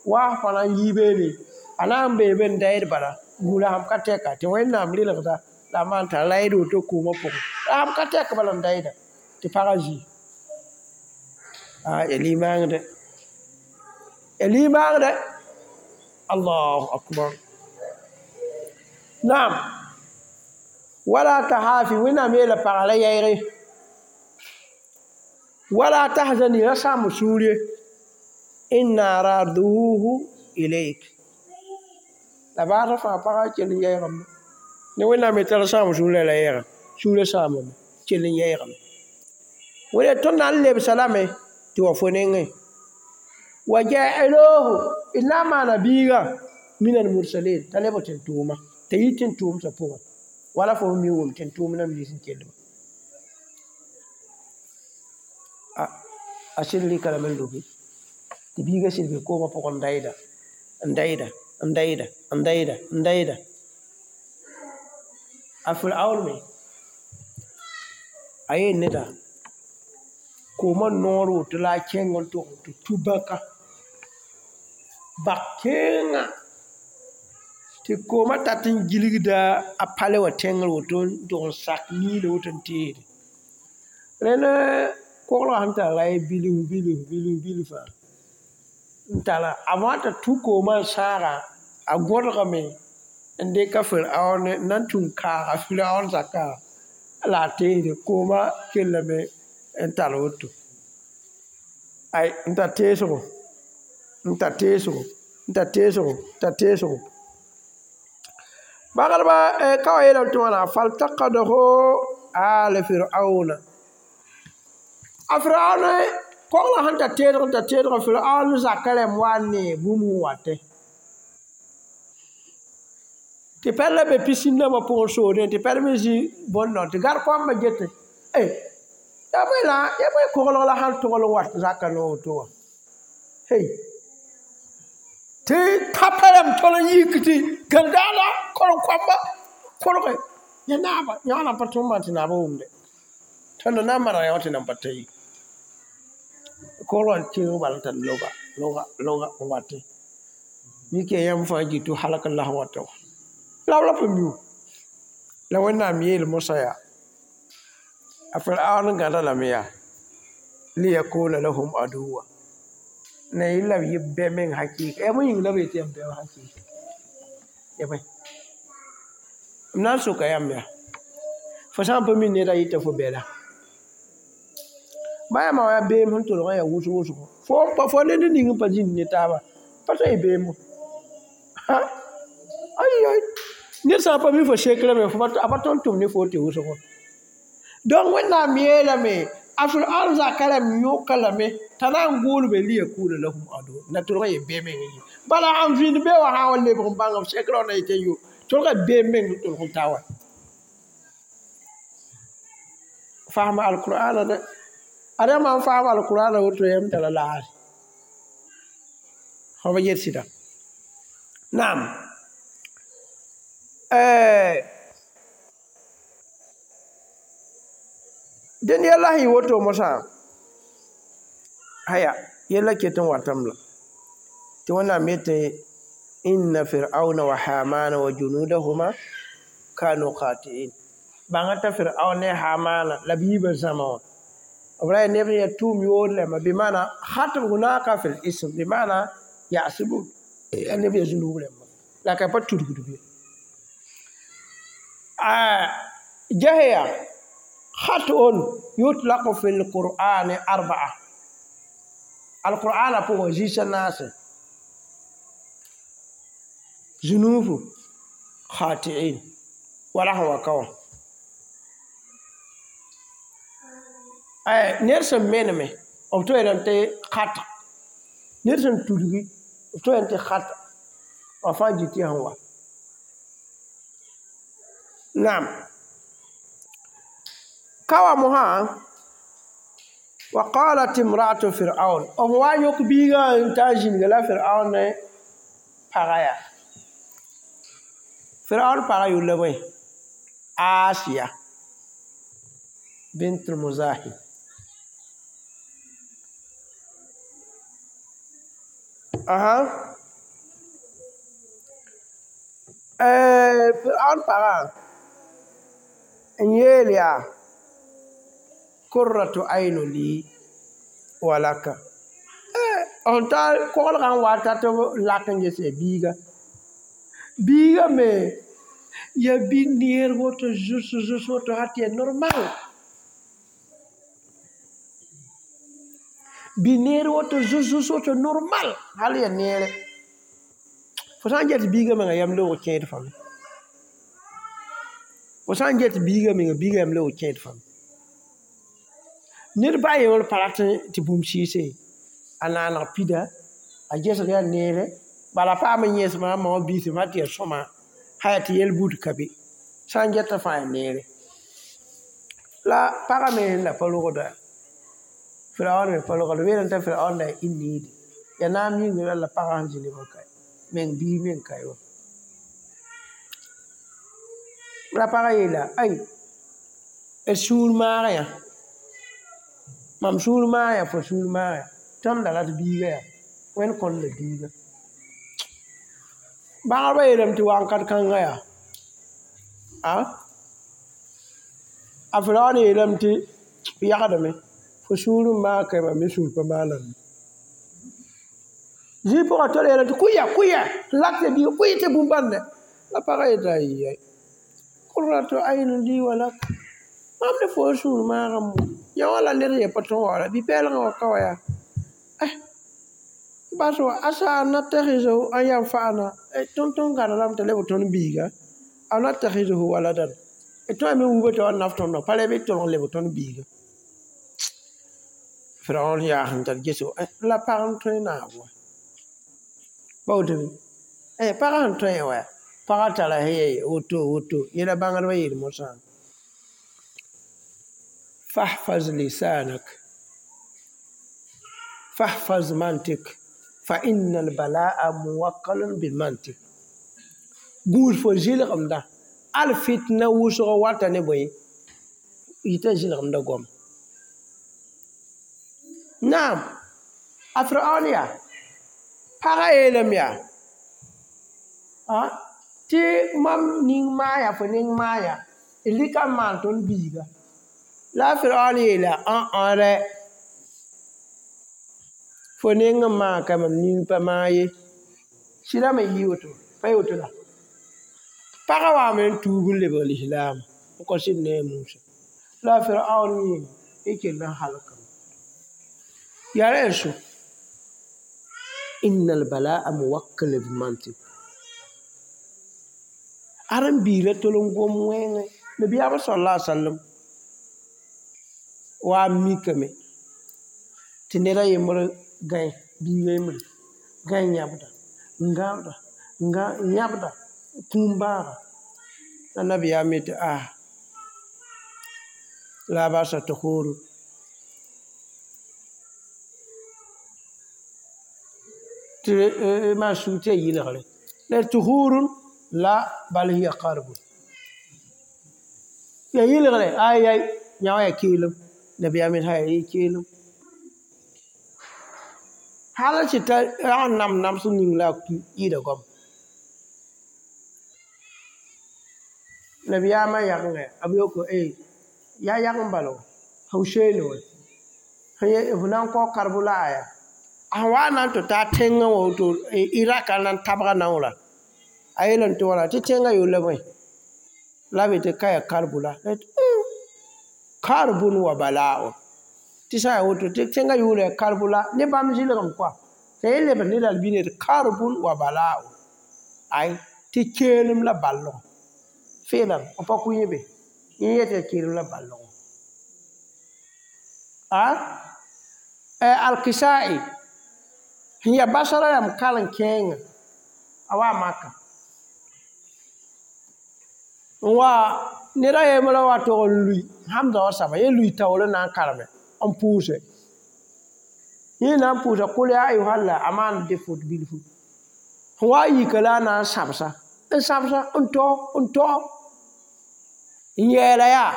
waas pa na n yi beene a na n bee be n dayd bala gũudã sãn ka tɛka tɩ Wẽnnaam rɩlgda la a maan t'a rayd woto koomã pʋgẽ la sãn ka tɛk bala n dayda tɩ pagã zĩ ya limaangdɛ ya limaangdɛ allahu akbar naam wala tahafi Wẽnnaam yeela pagã ra yɛɛge wala tahzani ra sãamb sũur ye inna raduhu ilayk la baasã fãa pagã kell n yɛɛgame ne Wẽnnaam yetɩ ra sãam sũurã la yɛɛga sũurã sãamame kell n yɛɛgame wẽnde tõnd na n lebsa lame tɩ wa fo nengẽ wa ja'iluhu d na n maana biiga min al-mursalin t'a leb tɩ n tʋʋma t'a yi tɩ n tʋʋmsã pʋgẽ wala fo mi wʋm tɩ n tʋʋm nam nins n kellba a sɩd rɩka lame n lobe tɩ biigã sɩd be koomã pʋgẽ n dayda n dayda n dayda n dayda n dayda A Fir'aun me a yeel neda koomã noor woto la a kẽng n tog tɩ tu bãka bak kẽengã tɩ koomã tat n gilgda a pale wã tẽngr woto n tog n sak niilã woto n teede rẽnd koglgã sẽn tar ra ye bilf bilf bilf bilfã n tara avant t'a tu koomã n sãaga a gõdgame n dɩka Fir'aun n na n tũ n kaaga Fir'aun zakã la a teesde koomã kellame n tar woto ay n tar teesgo n tar teesgo n tar teesgo n tar teesgo bagdba ka wa yeelame tɩ wãna faltaqadahu ala Fir'auna a Fir'aun koglgã sẽn tar teedg n tar teedg Fir'aun zakã rãmb wa n nee bũmb sẽn watẽ tɩ pɛd la be pisin-dãmbã pʋgẽ soodẽ tɩ pɛd me zĩ bõn-dão tɩ gãd-koambã getẽ eh yaa bõe la yaa bõe koglg la sãn togl n wat zakã noog woto wã hey tɩ tãpã rãmb tol n yik tɩ gãndaada korem-koamba kolge ya naaba yã nan pa tõnd maan tɩ naabã wʋmde tõnd na n maneg yã wã tɩ nan pa ta ye koglgã n kẽng bala n tar loga loga loga n watẽ mik yaa yãmb fãa gɩ tɩ halk n la sẽn wata wã la b la pa miu la Wẽnnaam yeel Mosã yaa a Fir'aun gãda lame yaa liyakuna lahum aduwa na yɩ la b yɩ bɛ meng hakɩɩka yaa bõe yĩng la b yetɩ yaa bɛ wã hakɩɩka ya bõe m na n soka yãmb yaa fo sã n pa mi neda yɩta fo bɛla ba yãmba wã yaa beem sẽn tolg n yaa wʋsg wʋsgo fo fo ned ning n pa zĩnd ne taaba pa tɩ y beemo ay ay ned sã n pa mi fo sekrã me a pa tõnd tʋm ne fo tɩ wʋsgo donc Wẽnnaam yeelame a Fir'aun zakã rãmb yõka lame t'a na n gʋʋlbe liyakuna lahum adu na tolg n yɩ beem meng ye bala n vĩnd be wã sã n wa lebg n bãng b sekrã wã na yetɩ yo tolga beem meng n tolg n ta wa fasma alqur'ana dɛ ad yãmb n fasma alqur'ana woto yãmb tara laase fo ba yet sɩda naam dẽnd yɛla sẽn yɩ woto mosã haya yɛla ket n watame la tɩ Wẽnnaam yetɩ inna fir'auna wa hamana wa junudahuma kanu khati'in bãnga t'a Fir'aun ne Hamana la b yiibã zãma wã b ra yaa neb sẽn yaa tʋʋm yood lɛma bɩmaana khatb hunaka fil ism bɩmaana yasbu yaa neb yaa zũnug rãmba la ka pa tudgd be jahya khat'un yutlaqu fil qur'ani arba'a alqur'ana pʋgẽ zĩis a naase zunubu khati'in wala sẽn wa ka wã ned sẽn meneme b toeerame tɩ khata ned sẽn tudgi b toeerame tɩ khata wã fãa gɩ tɩ sẽn wa naam ka wa mosã wa qalat imra'atu fir'aun b wa n yõk biigã n ta n zĩnga la Fir'aun ne pagã yaa Fir'aun pagã yʋl la bõe Asiya bint al-Muzahim aha Fir'aun pagã n yeel yaa kurratu aynu li wa laka n ta koglgã n wa tat b lak n ges ya biiga biiga me ya bi neer woto zus zus woto sã tɩ ya normal bi neer woto zus zus woto normal hal ya neere fo sã n get biiga menga yam loog kẽed fame fo sã n get biiga menga biiga yam loog kẽed fame ned ba yembr pa rat tɩ bũmb sɩɩse a naaneg pida a gesg yaa neere bala paam n yẽsmã a ma wã biismã tɩ yaa sõma sã yaa tɩ yel-bud ka be sã n geta fãa yaa neere la pagã me la pa rogda Fir'aun me pa rogda b yeelame t'a Fir'aun la yaa inniide yaa naam yĩngr la pagã sẽn zĩ nebã ka meng bii meng ka ye wã La pagã yeela ay d sũur maag yã mam sũur maag yã fo sũur maag yã tõnd da rat biiga yaa wẽnd kõnd la biiga bãgdbã yeelame tɩ wakat kãngã yaa a a Firaoon yeelame tɩ yagdame fo sũur n maag ka mam me sũur pa maaname zĩig pʋgã tol yeelame tɩ kʋɩ-ya kʋɩ-ya n lak tɩ biiga kʋɩ tɩ bũmb-bãnde la pagã yeta ayai qurratu aynin li wa lak mam ne fo sũur maagame mo yã wã la ned yẽ pa tõe wa wala bi-pɛɛlgã wa ka wa yaa eh bas wa asa an nattakhizahu an yanfa'ana tõnd tõnd gãd lame t'a leb tõnd biiga aw nattakhizahu waladan tõe me wuba t'a wa naf tõndã pa rɛ bɩ tolg n leb tõnd biiga Firaoon yaa sẽn tar ges la pag n tõe naab wa pa woto bɩ pagã sẽn tõe wa pagã tara sẽn woto woto yẽla bãngdbã yeel mosã fahfaz lisanak fahfaz mantik fa inna albala'a muwakkalun bilmantik gũus fo zɩlgemda al fitna wʋsg wata ne bõe yita zɩlgemda goama naam a Firaoon yaa pagã yeelame yaa tɩ mam ning maaya fo ning maaya d rɩka n maan tõnd biiga la a Firaoon yeela ã rɛ fo neng n maag ka mam ning pa maag ye sɩda me yɩ woto pa yɩ woto la pagã waame n tuub n lebg lislaam n kõ sɩd ne a Musa la a Firaoon yẽ y kell n halkame yaa rẽ so inna albala'a muwakkal bimantik ad n biila tol n gom wẽngẽ nabiyaamã sala alaihi wasallam wa n mikame tɩ ned a yembr gãe biiga yembre gãe yãbda n gãbda n yãbda kũum bãaga la nabiyaam yetɩ a la a basa tahuuru tɩ maan sug tɩ ya yɩlgre la tuhurun la bal hiya karbun ya yɩlgre ay ay yã wã ya keelem nabiyaam yet ya keelem hal tɩ ta rag n nam nams ning la a yɩɩda goam nabiyaamã yagengã b yoko yaa yagem bala wã Husein wã f na n kao karbo la aya a sẽn wa n na n tɩ taa tẽngã wã woto Irak a na n tabga naoora a yeelame tɩ wãna tɩ tẽngã yolla bõe la b yetɩ ka yaa karbula karbun wa bala'un tɩ sã n yaa woto tɩ tẽngã yʋʋra yaa karbula ne bãmb zɩlgem koa t'a yẽ lebs ne la b tɩ karbun wa bala'un ay tɩ keelem la ballgo feelam b pa kʋ yẽ be yẽ yetɩ yaa keelem la ballgo a Alkisa'i sẽn yaa basra rãmb karen-kẽengã a wa maka n wa ned a yembra wa tog n lui hamza wã saba yẽ lui taoor n na n kareme n pʋʋse yẽ na n pʋʋsa kʋl yaa ayuhal la a maan dɩ fot bilfu sẽn wa n yika la a na n sãbsa n sãbsa n tao n tao n yɛɛla yaa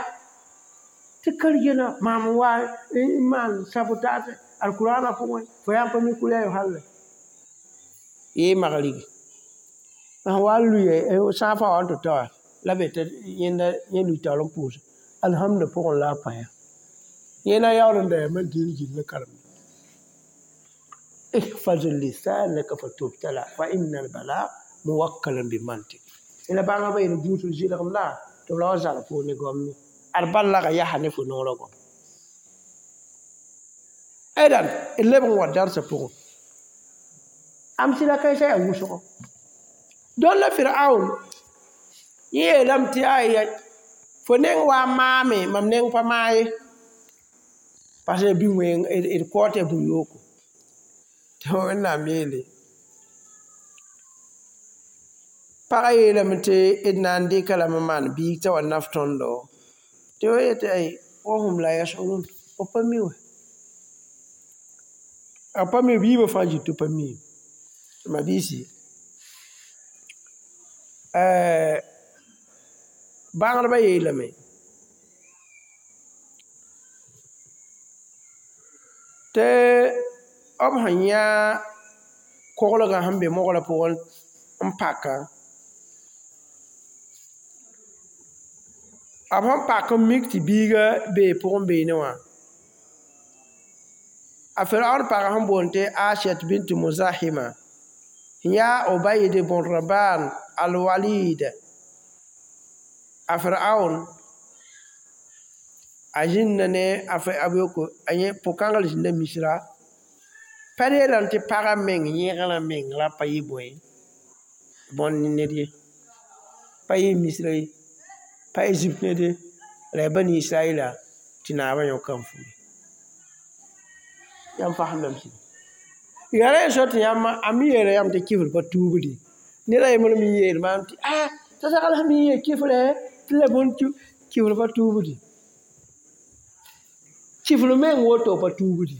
tɩ kargena maam n wa n maan sabotage alkurana pʋgẽ fo yaa n pa mi kʋl yaa ayuhal la yee magrigi sẽn wa n luye sãafã wa n tɩ ta wã la be tɩ yẽnda yẽ lui taoor n pʋʋse alhamda pʋgẽ la a pa yã yẽ na yaool n da yaa man dĩin gilli karemda ihfaz lisanaka fatubtala fa inna albala muwakkalun bimantik la bãngã ba yel gũusd zɩlgem la tɩ b ra wa zal fo ne goam ye ad bal laga yasa ne fo noorã goam idan d leb n wa darsã pʋgẽ amsɩla kãensã yaa wʋsgo dõn la Firaoon yẽ yeelame tɩ aya fo neng wa n maame mam neng pa maa ye parce que bɩ wẽng d kao tɩ yaa bũn-yooko tɩ Wẽnnaam yeele pagã yeelame tɩ d na n dɩka lame n maan biig t'a wa naf tõndo tɩ wa yetɩ ay wa hum la yashurun b pa mi wã a pa mi biibã fãa zĩ tɩ pa mi ma biisi Bãngdbã yeelame tɩ b sẽn yã koglgã sẽn be mogra pʋgẽ n pakã b sẽn pak n mik tɩ biiga bee pʋgẽ beene wã a Firaun pagã sẽn boond tɩ Asiat bint Muzahima n yaa Obaid bn Raban al-Walid a Firaun a zĩnda ne a a yẽ pʋ-kãngr zĩnda Misra pa yeelame tɩ pagã meng yẽgrã meng ra pa yɩ bõe bõn ned ye pa yɩ Misra ye pa Egypte ned ye la yaa Bani Israɛla tɩ naabã yõka n fuge yãmb fasemdame sɩda yaa ra so tɩ yãmb a me yeela yãmb tɩ kifr pa tuubdi ned a yembr me yeel maam tɩ a t'a sagl sẽn me yee kifrɛ tɩ la bõn kifr pa tuubdi kifr meng woto pa tuubdi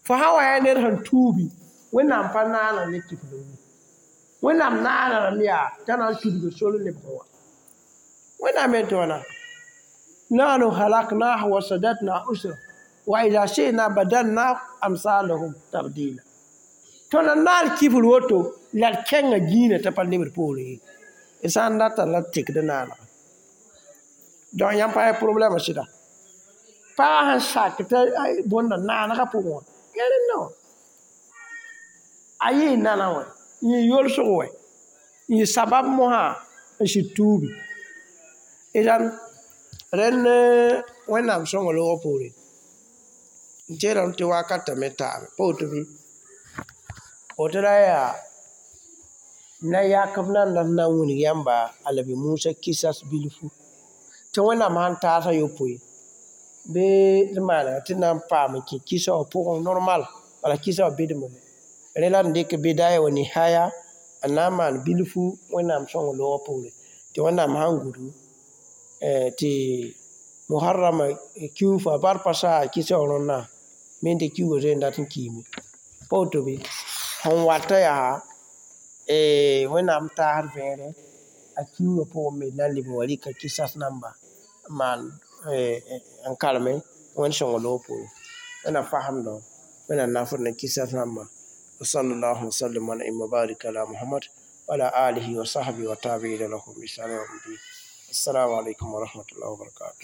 fo sã wa yaa ned sẽn tuubi Wẽnnaam pa naana ne kifr ye Wẽnnaam naana rãmb yaa t'a na n tudg sor lebg wã Wẽnnaam me tɩ wãna nahnu halaknahu wa sadatna usra wa idha shi'na badalna amsalahum tabdila tõnd n naan kifr woto la d kẽnga gĩinã t'a pa lebd poorẽ ye d sã n data la d tekd naanega donc yãmb pa yaa problɛmã sɩda pagã sẽn sak t'a bõnda naanegã pʋgẽ wã yaa rẽnda wã a yɩɩ nana wã n yɩ yolsg wɛ n yɩ sabab mosã n sɩd tuubi idan rẽnd Wẽnnaam sõngo loogã poore n teelame tɩ wakatã me taame pa woto bɩ woto la yaa na yak b nan na n wilg yãmba a Nabi Musa kisas bilfu tɩ Wẽnnaam sãn taas a yopoe bɩ d maanega tɩ na n paam n kẽ kisa wã pʋgẽ normal wala kisa wã bedme rẽ la d dɩk bidaya wa nihaya n na n maan bilfu Wẽnnaam sõngo loogã poore tɩ Wẽnnaam sãn gudu tɩ muharrama kiuufã bar pa saa kisa wã rõndã me tɩ kiuugã zoe n dat n kiime pa woto bɩ sẽn wata yaa Wẽnnaam taasd vẽere a kiuugã pʋgẽ me d na n leb n wa rɩka kisas namba n maan n kareme Wẽnd sõngo loog poore Wẽnnaam fasemdõ Wẽnnaam nafd ne kisas rãmbã وصلى الله وسلم ونعم وبارك على محمد وعلى آله وصحبه وتابعين لهم بإحسان يوم الدين السلام عليكم ورحمة الله وبركاته.